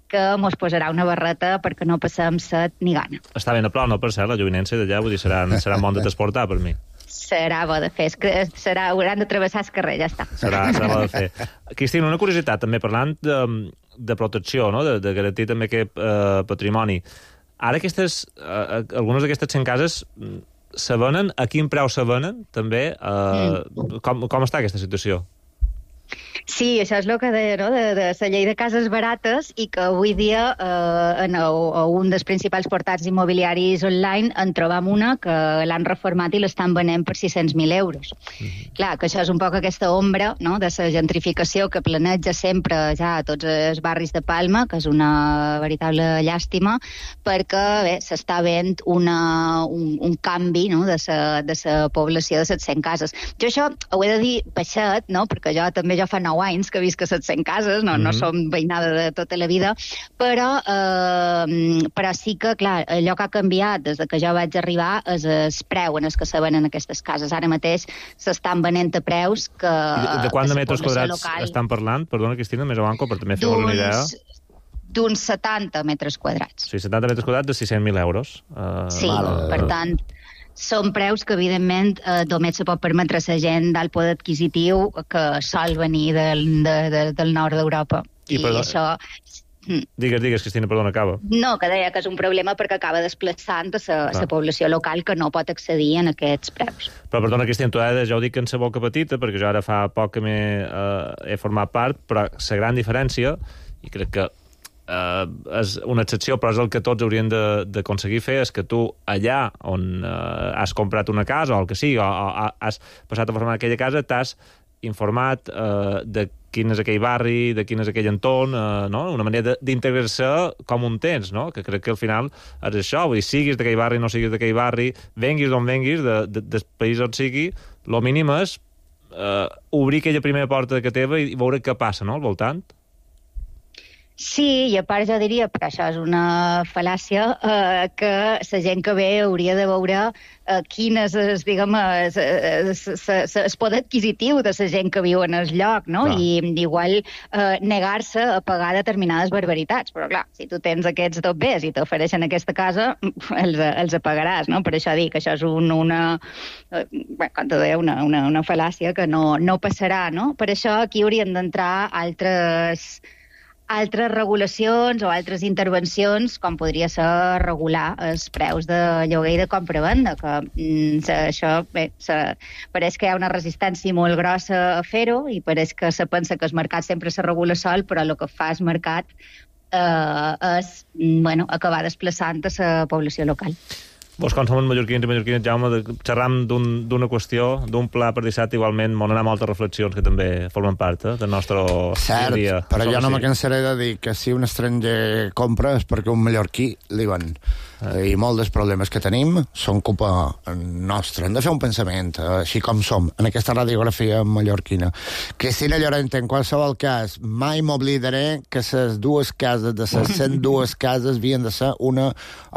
que mos posarà una barreta perquè no passem set ni gana. Està ben a prop, no, per cert, la Llovinense d'allà, vull dir, serà, serà bon de transportar per mi. Serà bo de fer, serà, hauran de travessar el carrer, ja està. Serà, serà bo de fer. Cristina, una curiositat, també parlant de, de protecció, no? de, de garantir també aquest eh, patrimoni. Ara aquestes, eh, algunes d'aquestes cent cases se venen, a quin preu se venen, també? Eh, mm. com, com està aquesta situació? Sí, això és el que deia, no?, de, de la llei de cases barates, i que avui dia eh, en el, un dels principals portals immobiliaris online en trobam una que l'han reformat i l'estan venent per sis-cents mil euros. Mm-hmm. Clar, que això és un poc aquesta ombra, no?, de la gentrificació que planeja sempre ja a tots els barris de Palma, que és una veritable llàstima, perquè bé, s'està veient una, un, un canvi, no?, de la de la població de les cent cases. Jo això ho he de dir baixet, no?, perquè jo també jo fa nou anys que visc a set cents cases, no, mm-hmm. no som veïnada de tota la vida, però, eh, però sí que, clar, allò que ha canviat des de que jo vaig arribar és el preu en el que se venen aquestes cases. Ara mateix s'estan venent a preus que... De, de quant de metres quadrats local... estan parlant? Perdona, Cristina, més abanco, per també fer una idea. D'uns setanta metres quadrats. Sí, setanta metres quadrats de sis-cents mil euros. Uh, sí, mal, per tant... Són preus que, evidentment, eh, només se pot permetre la gent d'alt poder adquisitiu que sol venir del, de, de, del nord d'Europa. I, I perdó... això... Digues, digues, Cristina, perdona, acaba. No, que deia que és un problema perquè acaba desplaçant a la població local que no pot accedir en aquests preus. Però, perdona, Cristina, tu ara ja ho dic en sa boca petita, perquè jo ara fa poc que m'he eh, he format part, però la gran diferència, i crec que Uh, és una excepció, però és el que tots haurien d'aconseguir fer, és que tu allà on uh, has comprat una casa o el que sigui, o, o has passat a formar aquella casa, t'has informat uh, de quin és aquell barri, de quin és aquell entorn, uh, no? Una manera d'integrar-se com un temps, no? Que crec que al final és això, vull dir, siguis d'aquell barri, no siguis d'aquell barri, venguis d'on venguis, de, de, del país on sigui, el mínim és uh, obrir aquella primera porta que teva i veure què passa, no?, al voltant. Sí, i a part jo diria, però això és una fal·làcia, eh, que la gent que ve hauria de veure eh, quin és, es, diguem, es, es, es, es, es poder adquisitiu de la gent que viu en el lloc, no? Clar. I igual eh, negar-se a pagar determinades barbaritats. Però clar, si tu tens aquests dos bés i t'ofereixen aquesta casa, els, els pagaràs, no? Per això dic que això és un, una, eh, bé, com te deia, una, una, una fal·làcia que no, no passarà, no? Per això aquí haurien d'entrar altres... altres regulacions o altres intervencions, com podria ser regular els preus de lloguer i de compra-venda, que mm, se, això, bé, se, pareix que hi ha una resistència molt grossa a fer-ho i pareix que se pensa que el mercat sempre se regula sol, però el que fa el mercat eh, és bueno, acabar desplaçant a la població local. Vos, com som mallorquins i mallorquines, Jaume, xerram d'una qüestió, d'un pla per dissabte, igualment, m'on anar moltes reflexions que també formen part eh, del nostre Cert, dia. però Som jo no així. me cansaré de dir que si un estranger compra és perquè un mallorquí li ven. I molts dels problemes que tenim són culpa nostra. Hem de fer un pensament, així com som, en aquesta radiografia mallorquina. Cristina Llorente, en qualsevol cas, mai m'oblidaré que les dues cases de les cent dues cases havien de ser una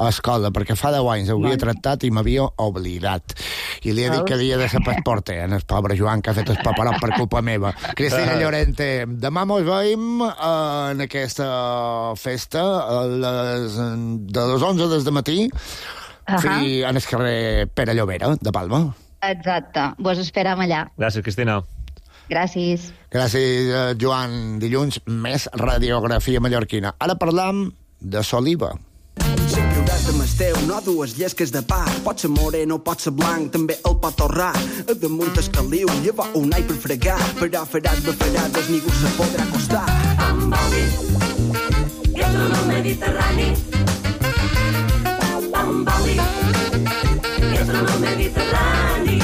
escola, perquè fa deu anys ho havia tractat i m'havia oblidat. I li he dit que havia de ser passporter, en el pobre Joan, que ha fet el paperot per culpa meva. Cristina Llorente, demà mos veiem en aquesta festa a les, de les onze des de matí Ahà. fi, en el carrer Pere Llobera, de Palma. Exacte, vos esperam allà. Gràcies, Cristina. Gràcies. Gràcies, eh, Joan. Dilluns, més radiografia mallorquina. Ara parlam de Soliva. Sempre hauràs de masteu, no dues llesques de pa. Pot ser moreno, pot ser blanc, també el pot torrar. A damunt el caliu, llevar un all per fregar. Però faràs bafarades, ningú se podrà acostar. Amb oli, que és el Mediterrani. Amb oli, que és el Mediterrani.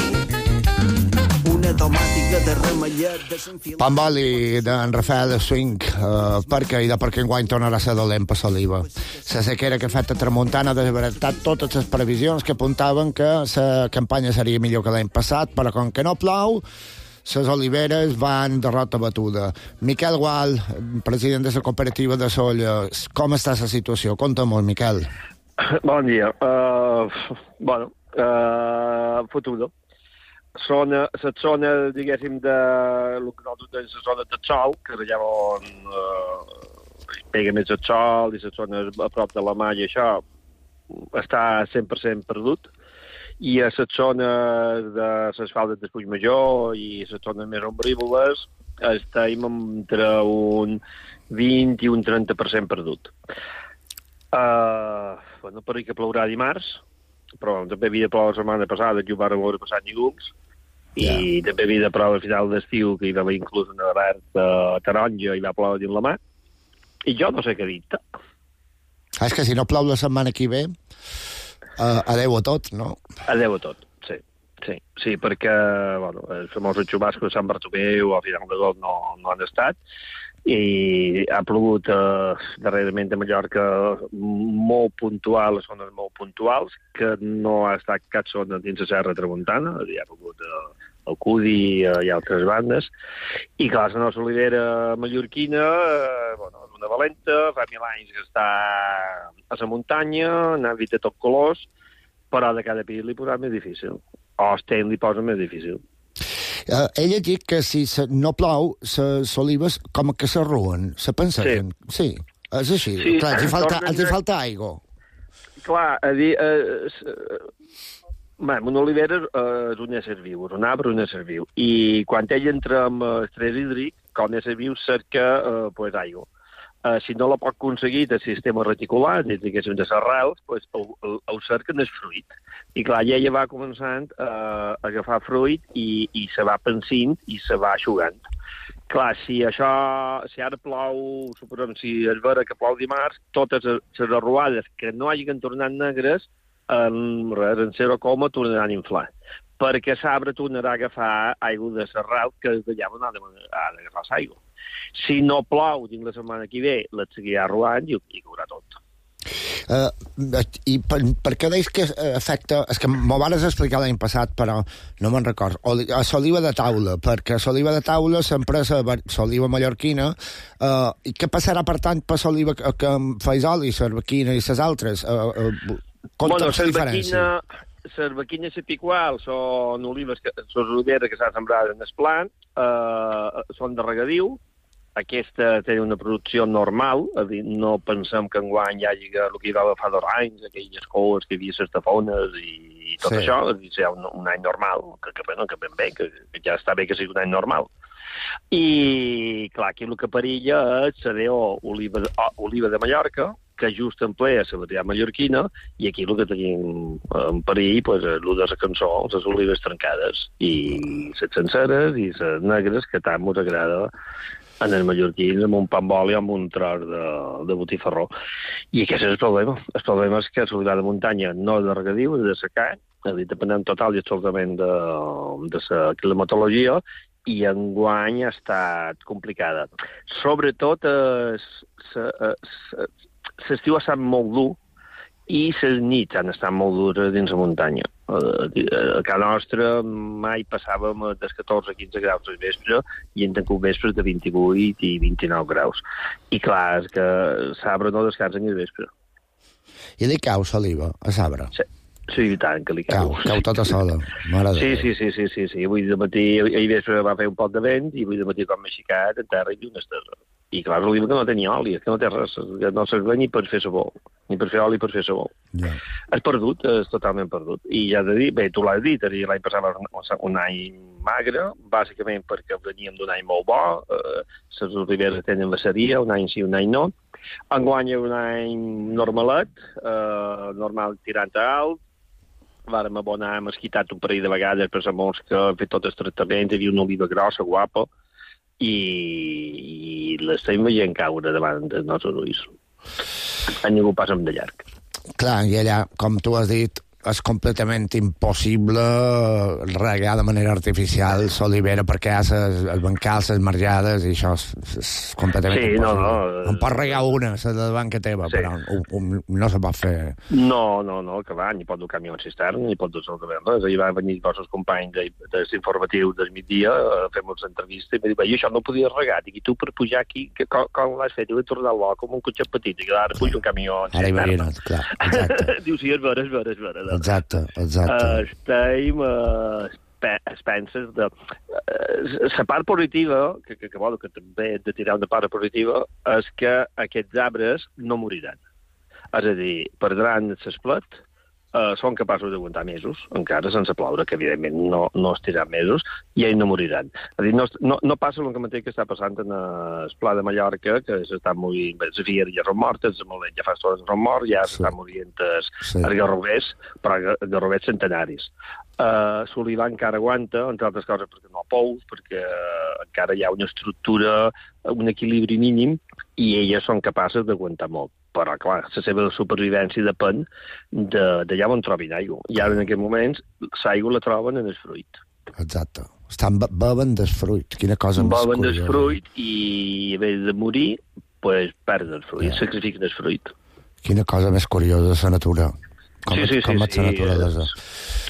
Una tomàtica de remellet de s'enfila... Pamboli d'en Rafael Swing, eh, perquè i de perquè enguany tornarà a ser dolent per Soliva. La sequera que ha fet a Tramuntana ha desbaratat totes les previsions que apuntaven que la campanya seria millor que l'any passat, però com que no plou, les oliveres van de rota batuda. Miquel Gual, president de la cooperativa de Solla, com està la situació? Conta-m'ho, Miquel. Bon dia. Uh, bueno, uh, fotuda. Zona, la zona, diguéssim, de el que nosaltres la zona de sol, que és allà on uh, pega més el sol i la zona a prop de la mà i això, està cent per cent perdut. I a la zona de les faldes de Puigmajor i les zones més ombrívoles estem entre un vint i un trenta per cent perdut. Uh, bueno, per que plourà dimarts, però també havia de ploure la setmana passada, que ho vam veure passat ningús, i yeah. també havia de ploure al final d'estiu, que hi va haver inclús una alerta taronja i va ploure dins la mà, i jo no sé què dir. Ah, és que si no plou la setmana que ve, uh, adeu a tot, no? Adeu a tot, sí. Sí, sí, perquè bueno, els famosos xubascos de Sant Bartomeu al final de tot no, no han estat, i ha plogut eh, darrerament a Mallorca molt puntual, les zones molt puntuals, que no ha estat cap zona dins la Serra Tramuntana, hi ha plogut eh, el Cudi eh, i altres bandes, i clar, la nostra olivera mallorquina, eh, bueno, és una valenta, fa mil anys que està a la muntanya, n'ha vist de tot colors, però de cada pis li posa més difícil, o Sten li posa més difícil. Uh, ell ha dit que si se, no plou, les olives com que s'arruen, se pensen. Sí. sí, és així. Sí, clar, els hi falta, tornen... els hi falta aigua. Clar, a dir... Eh, eh, bé, una olivera eh, és un ésser viu, és un arbre, un ésser viu. I quan ell entra amb estrès hídric, com ésser viu cerca eh, pues, aigua. Uh, si no la pot aconseguir del sistema reticular, des que són de les arrels, pues, el, el, el cerquen el fruit. I clar, ella va començant uh, a agafar fruit i, i se va pensint i se va aixugant. Clar, si això, si ara plou, suposem, si es vera que plou dimarts, totes les arruades que no hagin tornat negres, en, res, en zero coma tornaran a inflar. Perquè l'arbre tornarà a agafar aigua de l'arrel, que és d'allà on ha d'agafar l'aigua. Si no plou dins la setmana que ve, la seguirà arruant i, i caurà tot. Uh, I per, per què deus que afecta... És que m'ho vares explicar l'any passat, però no me'n record. Oli, a l'oliva de taula, perquè a l'oliva de taula s'empresa l'oliva mallorquina, uh, i què passarà, per tant, per l'oliva que, que feis oli, cervequina i les altres? Uh, uh, bueno, cervequina... Cervequina i picual són olives que, són oliveres que s'han sembrat en el plant, eh, són de regadiu. Aquesta té una producció normal, és a dir, no pensem que enguany hi hagi el que hi va fa dos anys, aquelles coes que hi havia les tafones i, i tot sí. Això, és a dir, ser un, un any normal, que, que, bueno, que ben bé, que, que ja està bé que sigui un any normal. I, clar, aquí el que perilla és la D O oliva, oliva de Mallorca, que just emplea la varietat mallorquina, i aquí el que tenim en perill, pues, el de la cançó, les olives trencades, i les senceres i les negres, que tant ens agrada en els mallorquins, amb un pa amb oli, amb un tros de, de botifarró. I aquest és el problema. El problema és que l'oliva de muntanya no és de regadiu, és de secar, és a dir, depenent total i absolutament de, de la climatologia, i enguany ha estat complicada. Sobretot, l'estiu ha estat molt dur i les nits han estat molt dures dins la muntanya. A casa nostra mai passàvem dels catorze a quinze graus al vespre i hem tingut vespres de vint-i-vuit i vint-i-nou graus. I clar, és que Sabre no descansa ni al vespre. I li cau l'oliva a Sabre? Sí. Sí, i tant, que li cau. Cau, cau tota sola. Sí, sí, sí, sí, sí, sí. Avui de matí, ahir vespre va fer un poc de vent i avui de matí, com m'he aixecat, en terra i una estesa. I clar, l'oliva que no tenia oli, és que no té res, no serveix ni per fer sabó, ni per fer oli, per fer sabó. Yeah. És perdut, és totalment perdut. I ja de dir, bé, tu l'has dit, l'any passat va un any magre, bàsicament perquè veníem d'un any molt bo, eh, les oliveres tenen la seria, un any sí, un any no. Enguany un any normalet, eh, normal tirant a alt, vàrem abonar, hem esquitat un parell de vegades per la mosca, hem fet tot el tractament, hi havia una oliva grossa, guapa, i, i l'estem veient caure davant dels nostres ulls. A ningú passa de llarg. Clar, i allà, com tu has dit, és completament impossible regar de manera artificial l'olivera perquè hi ha els bancals, les marjades, i això és, és completament sí, impossible. No, no. En pots regar una, la de davant que teva, sí. Però un, un, no se pot fer... No, no, no, que va, ni pot dur camió en cistern, ni pot dur absolutament res. Ahir van venir els vostres companys de, de l'informatiu del migdia, a fer-nos entrevista, i m'ha dit, això no podia regar, i tu per pujar aquí, que, com, com l'has fet? I vaig tornar al com un cotxet petit, i ara pujo un camió en cistern. Ara imagina't, clar, exacte. Diu, sí, és vera, és vera, és vera. Exacte, exacte. Uh, estem, uh, es penses de... Uh, la part positiva, que, que, que, bueno, que també hem de tirar una part positiva, és que aquests arbres no moriran. És a dir, perdran l'esplet, uh, són capaços d'aguantar mesos, encara sense ploure, que evidentment no, no estiran mesos, i ells no moriran. És a dir, no, no, no passa el que mateix que està passant en el Pla de Mallorca, que s'estan morint, bé, les fieres ja són mortes, ja fa estones són morts, ja s'estan sí. morint els, sí. els garrovers, però garrovers centenaris. Uh, L'olivar encara aguanta, entre altres coses perquè no pous, perquè encara hi ha una estructura, un equilibri mínim, i elles són capaces d'aguantar molt. Però, clar, la seva supervivència depèn d'allà on trobin aigua. I ara, en aquests moments, l'aigua la troben en el fruit. Exacte. Estan beben del fruit. Quina cosa més curiosa. Beben del fruit i, en vez de morir, pues, perden el fruit, yeah. sacrifiquen el fruit. Quina cosa més curiosa, la natura. Com, sí, sí, com sí, és la naturalesa.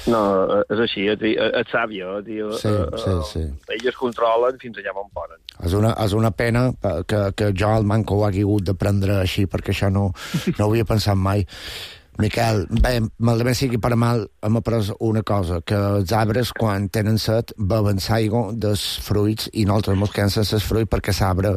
No, és així, és sàvia. Sí, sí, sí. Elles controlen fins allà on poden. És una, és una pena que, que jo el manco ho hagi hagut d'aprendre així, perquè això no, no ho havia pensat mai. Miquel, bé, malament sigui per mal, hem après una cosa, que els arbres, quan tenen set, beuen l'aigua dels fruits i nosaltres mos quedem sense el fruit perquè l'arbre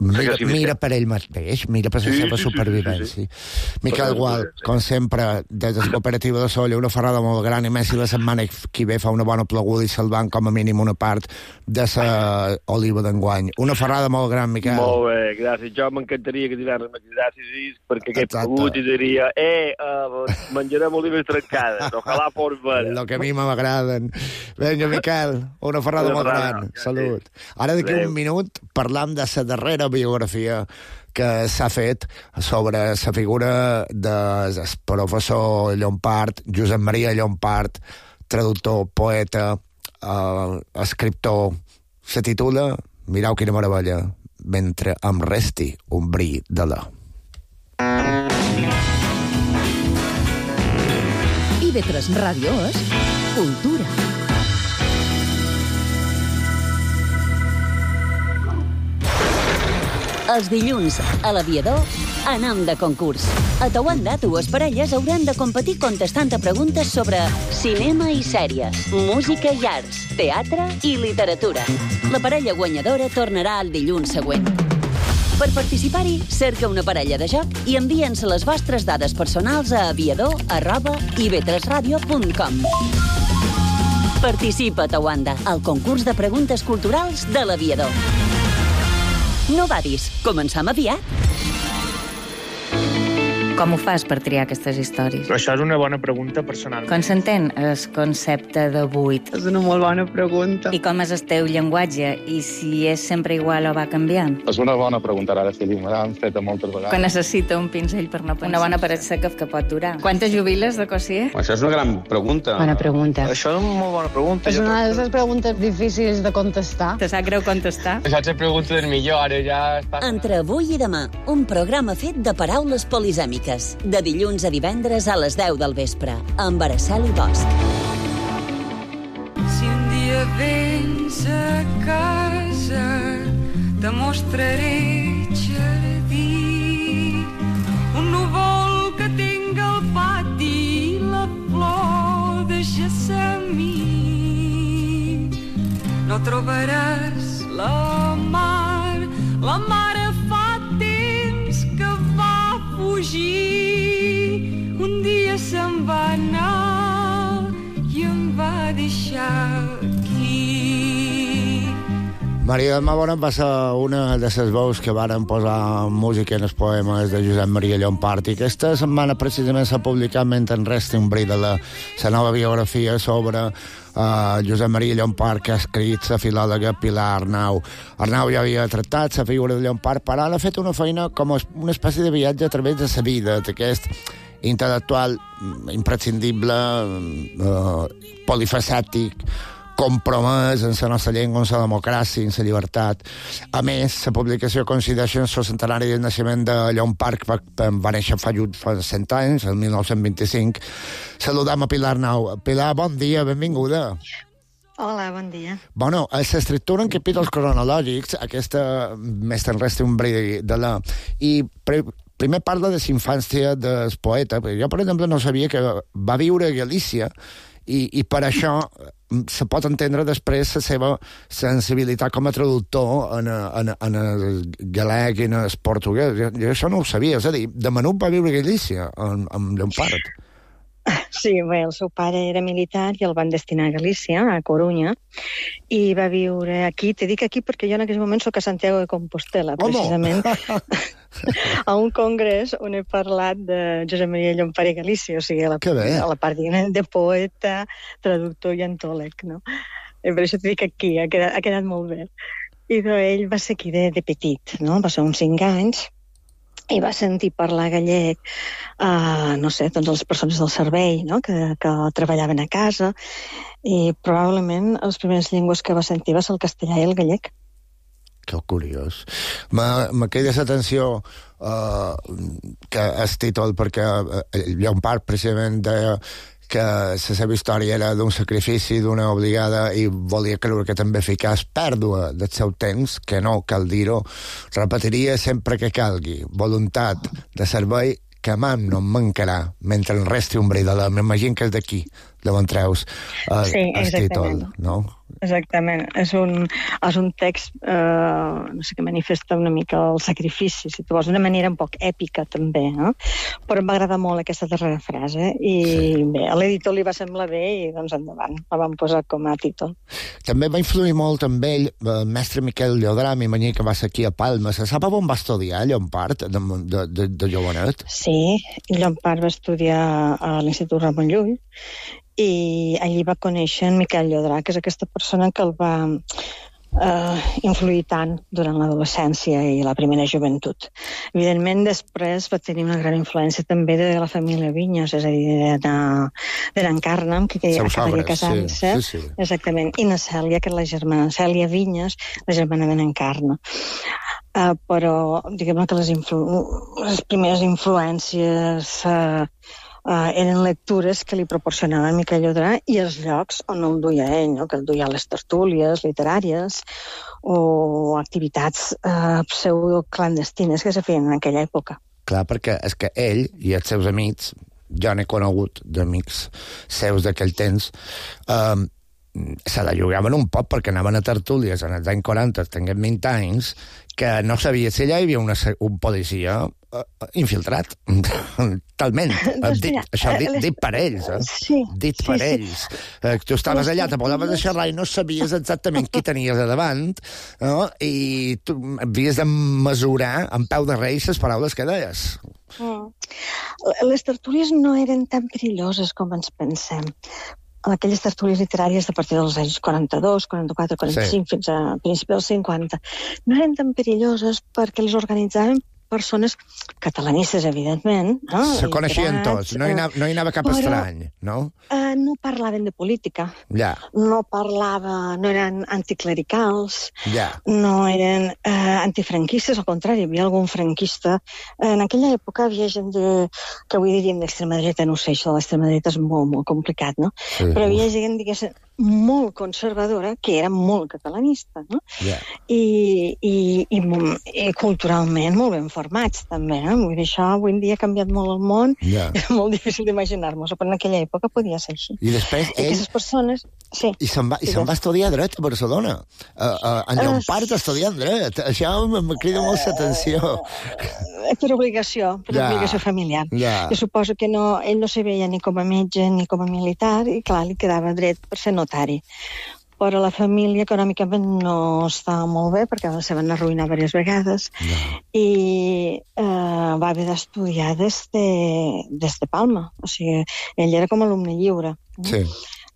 mira, mira per ell mateix, mira per la sí, seva sí, supervivència. Sí, sí, sí. Miquel Gual, com sempre, des de la cooperativa de Sóller, una ferrada molt gran, i més si la setmana que ve fa una bona pleguda i salvant com a mínim una part de la oliva d'enguany. Una ferrada molt gran, Miquel. Molt bé, gràcies. Jo m'encantaria que divendres me cridassis perquè aquest plegut i diria, eh, Uh, menjarem olives trencades, ojalà fos vera. Lo que a mi m'agraden. Vinga, Miquel, una ferrada molt gran. Salut. Ara d'aquí un minut parlam de la darrera biografia que s'ha fet sobre la figura del professor Llompart, Josep Maria Llompart, traductor, poeta, uh, escriptor. Se titula, mireu quina meravella, Mentre em resti un bri de la. be tres Ràdio és cultura. Els dilluns, a l'Aviador, anem de concurs. A Tawanda, dues parelles hauran de competir contestant a preguntes sobre cinema i sèries, música i arts, teatre i literatura. La parella guanyadora tornarà el dilluns següent. Per participar-hi, cerca una parella de joc i envia'ns les vostres dades personals a aviador arroba i be tres ràdio punt com. Participa a Tawanda, al concurs de preguntes culturals de l'Aviador. No badis, començam aviat. Com ho fas per triar aquestes històries? Això és una bona pregunta personal. Com s'entén el concepte de buit? És una molt bona pregunta. I com és el teu llenguatge? I si és sempre igual o va canviant? És una bona pregunta, ara sí, me l'han feta moltes vegades. Que necessita un pinzell per no pensar. Una bona paret seca que pot durar. Quantes jubiles de Cossier? Això és una gran pregunta. Bona pregunta. Això és una molt bona pregunta. És una de les preguntes difícils de contestar. Te sap greu contestar? Això és pregunta del millor, ara ja... Està... Entre avui i demà, un programa fet de paraules polisèmiques. De dilluns a divendres a les deu del vespre, amb Araceli Bosch. Si un dia vens a casa, te mostraré jardí, un núvol que tinc al pati, la flor de gessamí. No trobaràs la mar, la mare fa temps que va fugir. Un dia se'n va anar i em va deixar aquí. Maria del Mar Bonet va ser una de les veus que varen posar música en els poemes de Josep Maria Llompart, i aquesta setmana precisament s'ha publicat mentre en resti un bri de la, la nova biografia sobre Uh, Josep Maria Llompart, que ha escrit la filòloga Pilar Arnau. Arnau ja havia tractat la figura de Llompart, però ara ha fet una feina com una espècie de viatge a través de la vida d'aquest intel·lectual imprescindible, uh, polifacètic, compromès en la nostra llengua, en la democràcia, en la llibertat. A més, la publicació coincideix en el centenari del naixement de Llompart, que va, va néixer fa, fa cent anys, el mil nou-cents vint-i-cinc. Saludam a Pilar Arnau. Pilar, bon dia, benvinguda. Hola, bon dia. Bueno, s'estructura en capítols cronològics, aquesta més te'n resta un bri de la... I pre, primer parla de la infància del poeta. Jo, per exemple, no sabia que va viure a Galícia, i, i per això se pot entendre després la seva sensibilitat com a traductor en, en, en el galec i en el portuguès. Jo, jo això no ho sabia. És a dir, de menut va viure a Galícia, amb, amb Llompart. Sí, bé, el seu pare era militar i el van destinar a Galícia, a Corunya, i va viure aquí. Te dic aquí perquè jo en aquell moment soc a Santiago de Compostela, precisament, a un congrés on he parlat de Josep Maria Llompart i Galícia, o sigui, a la, a la part de poeta, traductor i antòleg, no? I per això te dic aquí, ha quedat, ha quedat molt bé. I ell va ser aquí de, de petit, no? Va ser uns cinc anys, i va sentir parlar gallec, uh, no sé, doncs les persones del servei, no? que, que treballaven a casa, i probablement les primeres llengües que va sentir va ser el castellà i el gallec. Que curiós. Me queda l'atenció uh, que el títol, perquè Llompart precisament deia que la seva història era d'un sacrifici, d'una obligada, i volia creure que també ficàs pèrdua del seu temps, que no, cal dir-ho, repetiria sempre que calgui, voluntat de servei que mai no em mancarà, mentre en resti un bri de la... M'imagino que és d'aquí, d'on treus el, sí, el títol, no? Exactament. És un, és un text eh, no sé, que manifesta una mica el sacrifici, si tu vols, d'una manera un poc èpica també, no? Però em va agradar molt aquesta darrera frase i sí. Bé, a l'editor li va semblar bé i doncs endavant, la vam posar com a títol. També va influir molt amb ell el mestre Miquel Llodrà, m'imagino que va ser aquí a Palma. Se sap on va estudiar Llompart, de, de, de, de jovenet? Sí, Llompart va estudiar a l'Institut Ramon Llull i allí va conèixer en Miquel Llodrà, que és aquesta persona que el va eh, influir tant durant l'adolescència i la primera joventut. Evidentment, després va tenir una gran influència també de la família Vinyes, és a dir, d'en Carnam, que, que acabaria casant-se. Sí, sí, sí. Exactament. I na Cèlia, que és la germana, Cèlia Vinyes, la germana d'en Carna. Uh, però, diguem-ne que les, influ les primeres influències uh, uh, eren lectures que li proporcionava Miquel Llodrà i els llocs on el duia ell, no? Que el duia a les tertúlies literàries o activitats uh, pseudoclandestines que se feien en aquella època. Clar, perquè és que ell i els seus amics, jo n'he conegut d'amics seus d'aquell temps, eh, se la jugaven un poc perquè anaven a tertúlies en els anys quaranta, tenien vint anys, que no sabia si allà hi havia una, un policia uh, infiltrat. Talment. Doncs dit, mira, això dit, les- dit per ells, eh? Sí, dit sí, per sí. ells. Eh, tu estaves Les allà, te posaves a tertúlies- xerrar i no sabies exactament qui tenies a davant, no? I tu havies de mesurar en peu de rei les paraules que deies. Mm. Les tertúlies no eren tan perilloses com ens pensem. Aquelles tertúlies literàries de partir dels anys quaranta-dos, quaranta-quatre, quaranta-cinc, sí. fins a principis dels cinquanta, no eren tan perilloses perquè les organitzaven persones catalanistes, evidentment. No? Se coneixien Literats, tots, no hi anava, no hi anava cap però, estrany, no? Eh, no parlaven de política, Ja, no parlava, no eren anticlericals, ja. no eren eh, antifranquistes, al contrari, hi havia algun franquista. En aquella època hi havia gent de, que avui diríem d'extrema dreta, no ho sé, això de l'extrema dreta és molt, molt complicat, no? Sí. Però hi havia gent, diguéssim, molt conservadora, que era molt catalanista, no? Ja. I, i, i, i culturalment molt ben formats, també, no? Vull dir, això avui en dia ha canviat molt el món, Ja. és molt difícil d'imaginar-nos, però en aquella època podia ser així. I després I ell... aquestes persones... Sí. I se'n va, i se'n va estudiar dret a Barcelona. Uh, uh, en Llompart estudiant dret. Això em crida molt l'atenció. Eh, Per obligació, per Ja. obligació familiar. Ja. Jo suposo que no, ell no se veia ni com a metge ni com a militar i, clar, li quedava dret per ser notari. Però la família econòmicament no estava molt bé perquè se van arruïnar diverses vegades Ja. i eh, va haver d'estudiar des de, des de Palma. O sigui, ell era com a alumne lliure. Sí.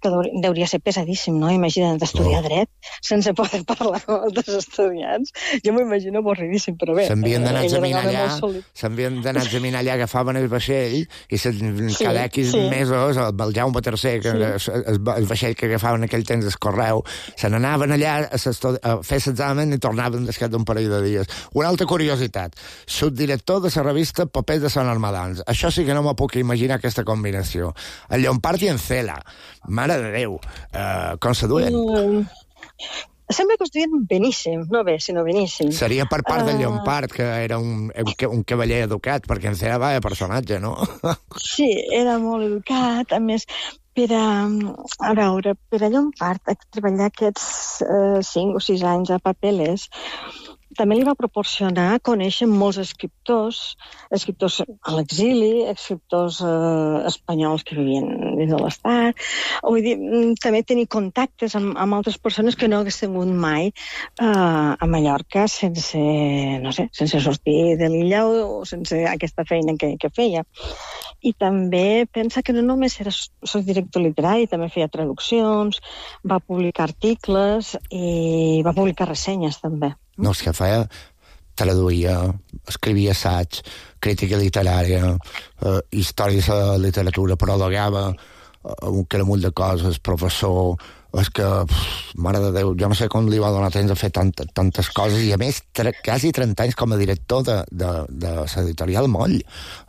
Que deu- deuria ser pesadíssim, no? Imagina't estudiar Oh. dret sense poder parlar amb altres estudiants. Jo m'ho imagino avorridíssim, però bé. S'havien d'anar a ell era un examinar home allà, molt sòlid. s'havien d'anar a examinar allà, agafaven el vaixell i se, Sí, cada X sí. mesos, el, el Jaume tercer, que Sí. es, es, el vaixell que agafaven aquell temps del correu, se n'anaven allà a, s'estu- a fer l'examen i tornaven després d'un parell de dies. Una altra curiositat, subdirector de la revista Papers de Sant Armadans. Això sí que no m'ho puc imaginar, aquesta combinació. En Llompart i en Cela. Mare de Déu. Uh, com se duen? Mm, sembla que ho estudien beníssim, no bé, sinó beníssim. Seria per part de Ah. Llompart, que era un, un, un cavaller educat, perquè en Cela va de personatge, no? Sí, era molt educat, a més, per a, a veure, per a Llompart, a treballar aquests eh, cinc o sis anys a Papeles, també li va proporcionar conèixer molts escriptors, escriptors a l'exili, escriptors eh, espanyols que vivien dins de l'Estat. Vull dir, mm, també tenir contactes amb, amb altres persones que no hagués tingut mai eh, a Mallorca sense, no sé, sense sortir de l'illa o, o sense aquesta feina que, que feia. I també pensa que no només era soc director literari, també feia traduccions, va publicar articles i va publicar ressenyes també. No, és que feia, traduïa, escrivia assaig, crítica literària, eh, històries de la literatura, prologava eh, un caramull de coses, professor... És que, pff, mare de Déu, jo no sé com li va donar temps a fer tant, tantes coses, i a més, tre, quasi trenta anys com a director de, de, de l'editorial Moll.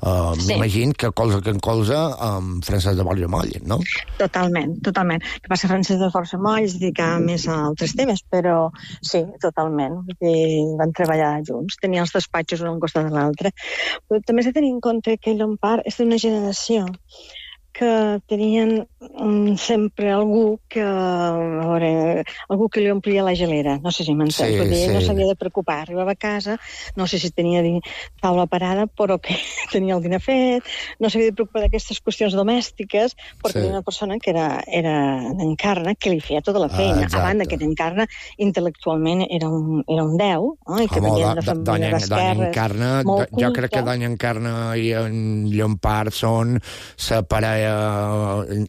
Uh, Sí. M'imagino que colze que en colze amb Francesc de Borja Moll, no? Totalment, totalment. El que passa Francesc de Força Moll es dedicava més a altres temes, però sí, totalment. Vull dir, van treballar junts, tenien els despatxos un al costat de l'altre. Però també s'ha de tenir en compte que Llompart és d'una generació que tenien um, sempre algú que, a veure, algú que li omplia la gelera, no sé si m'entens, Sí, vull dir, ell no sí. s'havia de preocupar, arribava a casa, no sé si tenia di- taula parada, però que tenia el dinar fet, no s'havia de preocupar d'aquestes qüestions domèstiques, perquè Sí. era una persona que era, era d'Encarna, que li feia tota la Ah, feina, exacte. a banda que d'Encarna intel·lectualment era un, era un déu, no? I que Home, venia do, de do, família doña, doña d'esquerres, Encarna, molt do, jo crec que culta. Doña Encarna i en Llompart són la parella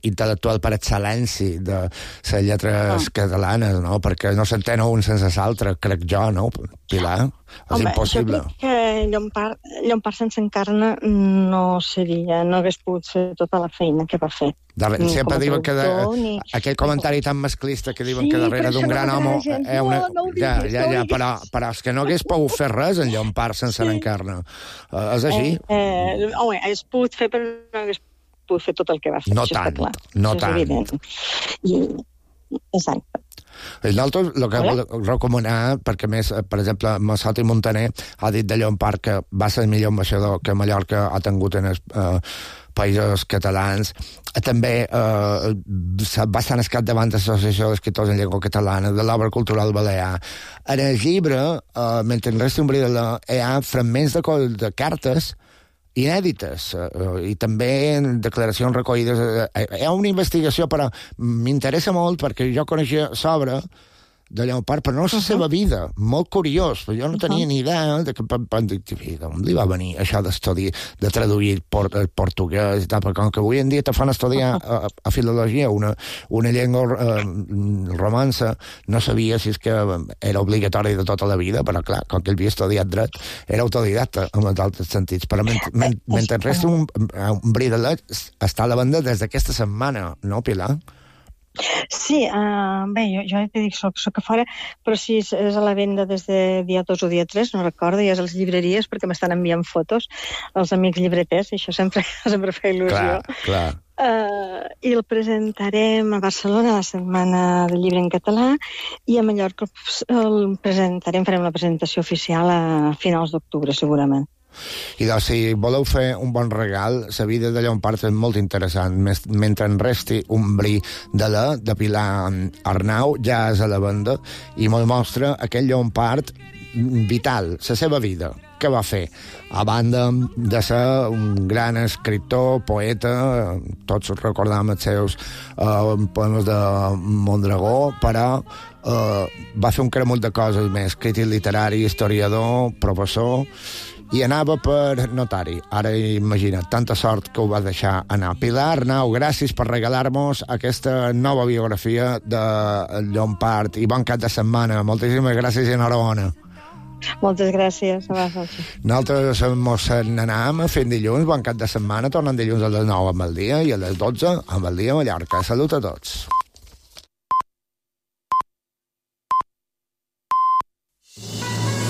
intel·lectual per excel·lència de les lletres Ah. catalanes, no? Perquè no s'entén un sense l'altre, crec jo, no, Pilar? És Home, impossible. jo crec que Llompart, Llompart sense Encarna no seria, no hagués pogut fer tota la feina que va fer. Darre, Ni sempre com a diuen que de, traductor, ni- aquell comentari tan masclista que diuen Sí, que per darrere això d'un no gran m'agrada home gens. hi ha una... No, no ho ja, diguis, ja, no ho ja, diguis. però, però és que no hagués pogut fer res en Llompart sense Sí. l'Encarna. Uh, és així? Eh, eh, home, hagués pogut fer, però no hagués pogut fer tot el que va fer. No això està tant, clar. no Això és tant. evident. I, exacte. I nosaltres el que Hola? vol recomanar, perquè més, per exemple, Massot i Montaner ha dit de Llompart que va ser el millor ambaixador que Mallorca ha tingut en els eh, països catalans. També eh, va estar en el capdavant de l'Associació d'Escriptors en Llengua Catalana, de l'Obra Cultural Balear. En el llibre, eh, mentre en resta un bri de la, hi ha fragments de, co- de cartes inèdites eh, i també en declaracions recollides. Eh, hi ha una investigació, però m'interessa molt perquè jo coneixia sobre de Llompart, però no la seva vida. Molt curiós, però jo no tenia ni idea de que d'on li va venir això d'estudi, de traduir por, el portuguès i tal, perquè com que avui en dia te fan estudiar a, a filologia una, una llengua eh, romança, no sabia si és que era obligatori de tota la vida, però clar, com que ell havia estudiat dret, era autodidacta en els altres sentits. Però mentre, men, mentre resta un, un bri de leig, està a la banda des d'aquesta setmana, no, Pilar? Sí, uh, bé, jo, jo te dic, soc, soc a fora, però sí, és, és a la venda des de dia dos o dia tres, no recordo, i és a les llibreries, perquè m'estan enviant fotos els amics llibreters, i això sempre, sempre fa il·lusió. Clar, clar. Uh, I el presentarem a Barcelona la Setmana del Llibre en Català, i a Mallorca el presentarem, farem la presentació oficial a finals d'octubre, segurament. I doncs, si voleu fer un bon regal, la vida de Llompart és molt interessant. Mentre en resti un bri de la, de Pilar Arnau, ja és a la venda, i molt mostra aquell Llompart vital, la seva vida. Què va fer? A banda de ser un gran escriptor, poeta, tots recordam els seus uh, poemes de Mondragó, però uh, va fer un cremull de coses més, crític literari, historiador, professor, i anava per notari. Ara imagina't, tanta sort que ho va deixar anar. Pilar Arnau, gràcies per regalar-nos aquesta nova biografia de Llompart i bon cap de setmana. Moltíssimes gràcies i enhorabona. Moltes gràcies. Nosaltres mos n'anàvem fent dilluns, bon cap de setmana, tornem dilluns a les nou amb el dia i a les dotze amb el dia a Mallorca. Salut a tots.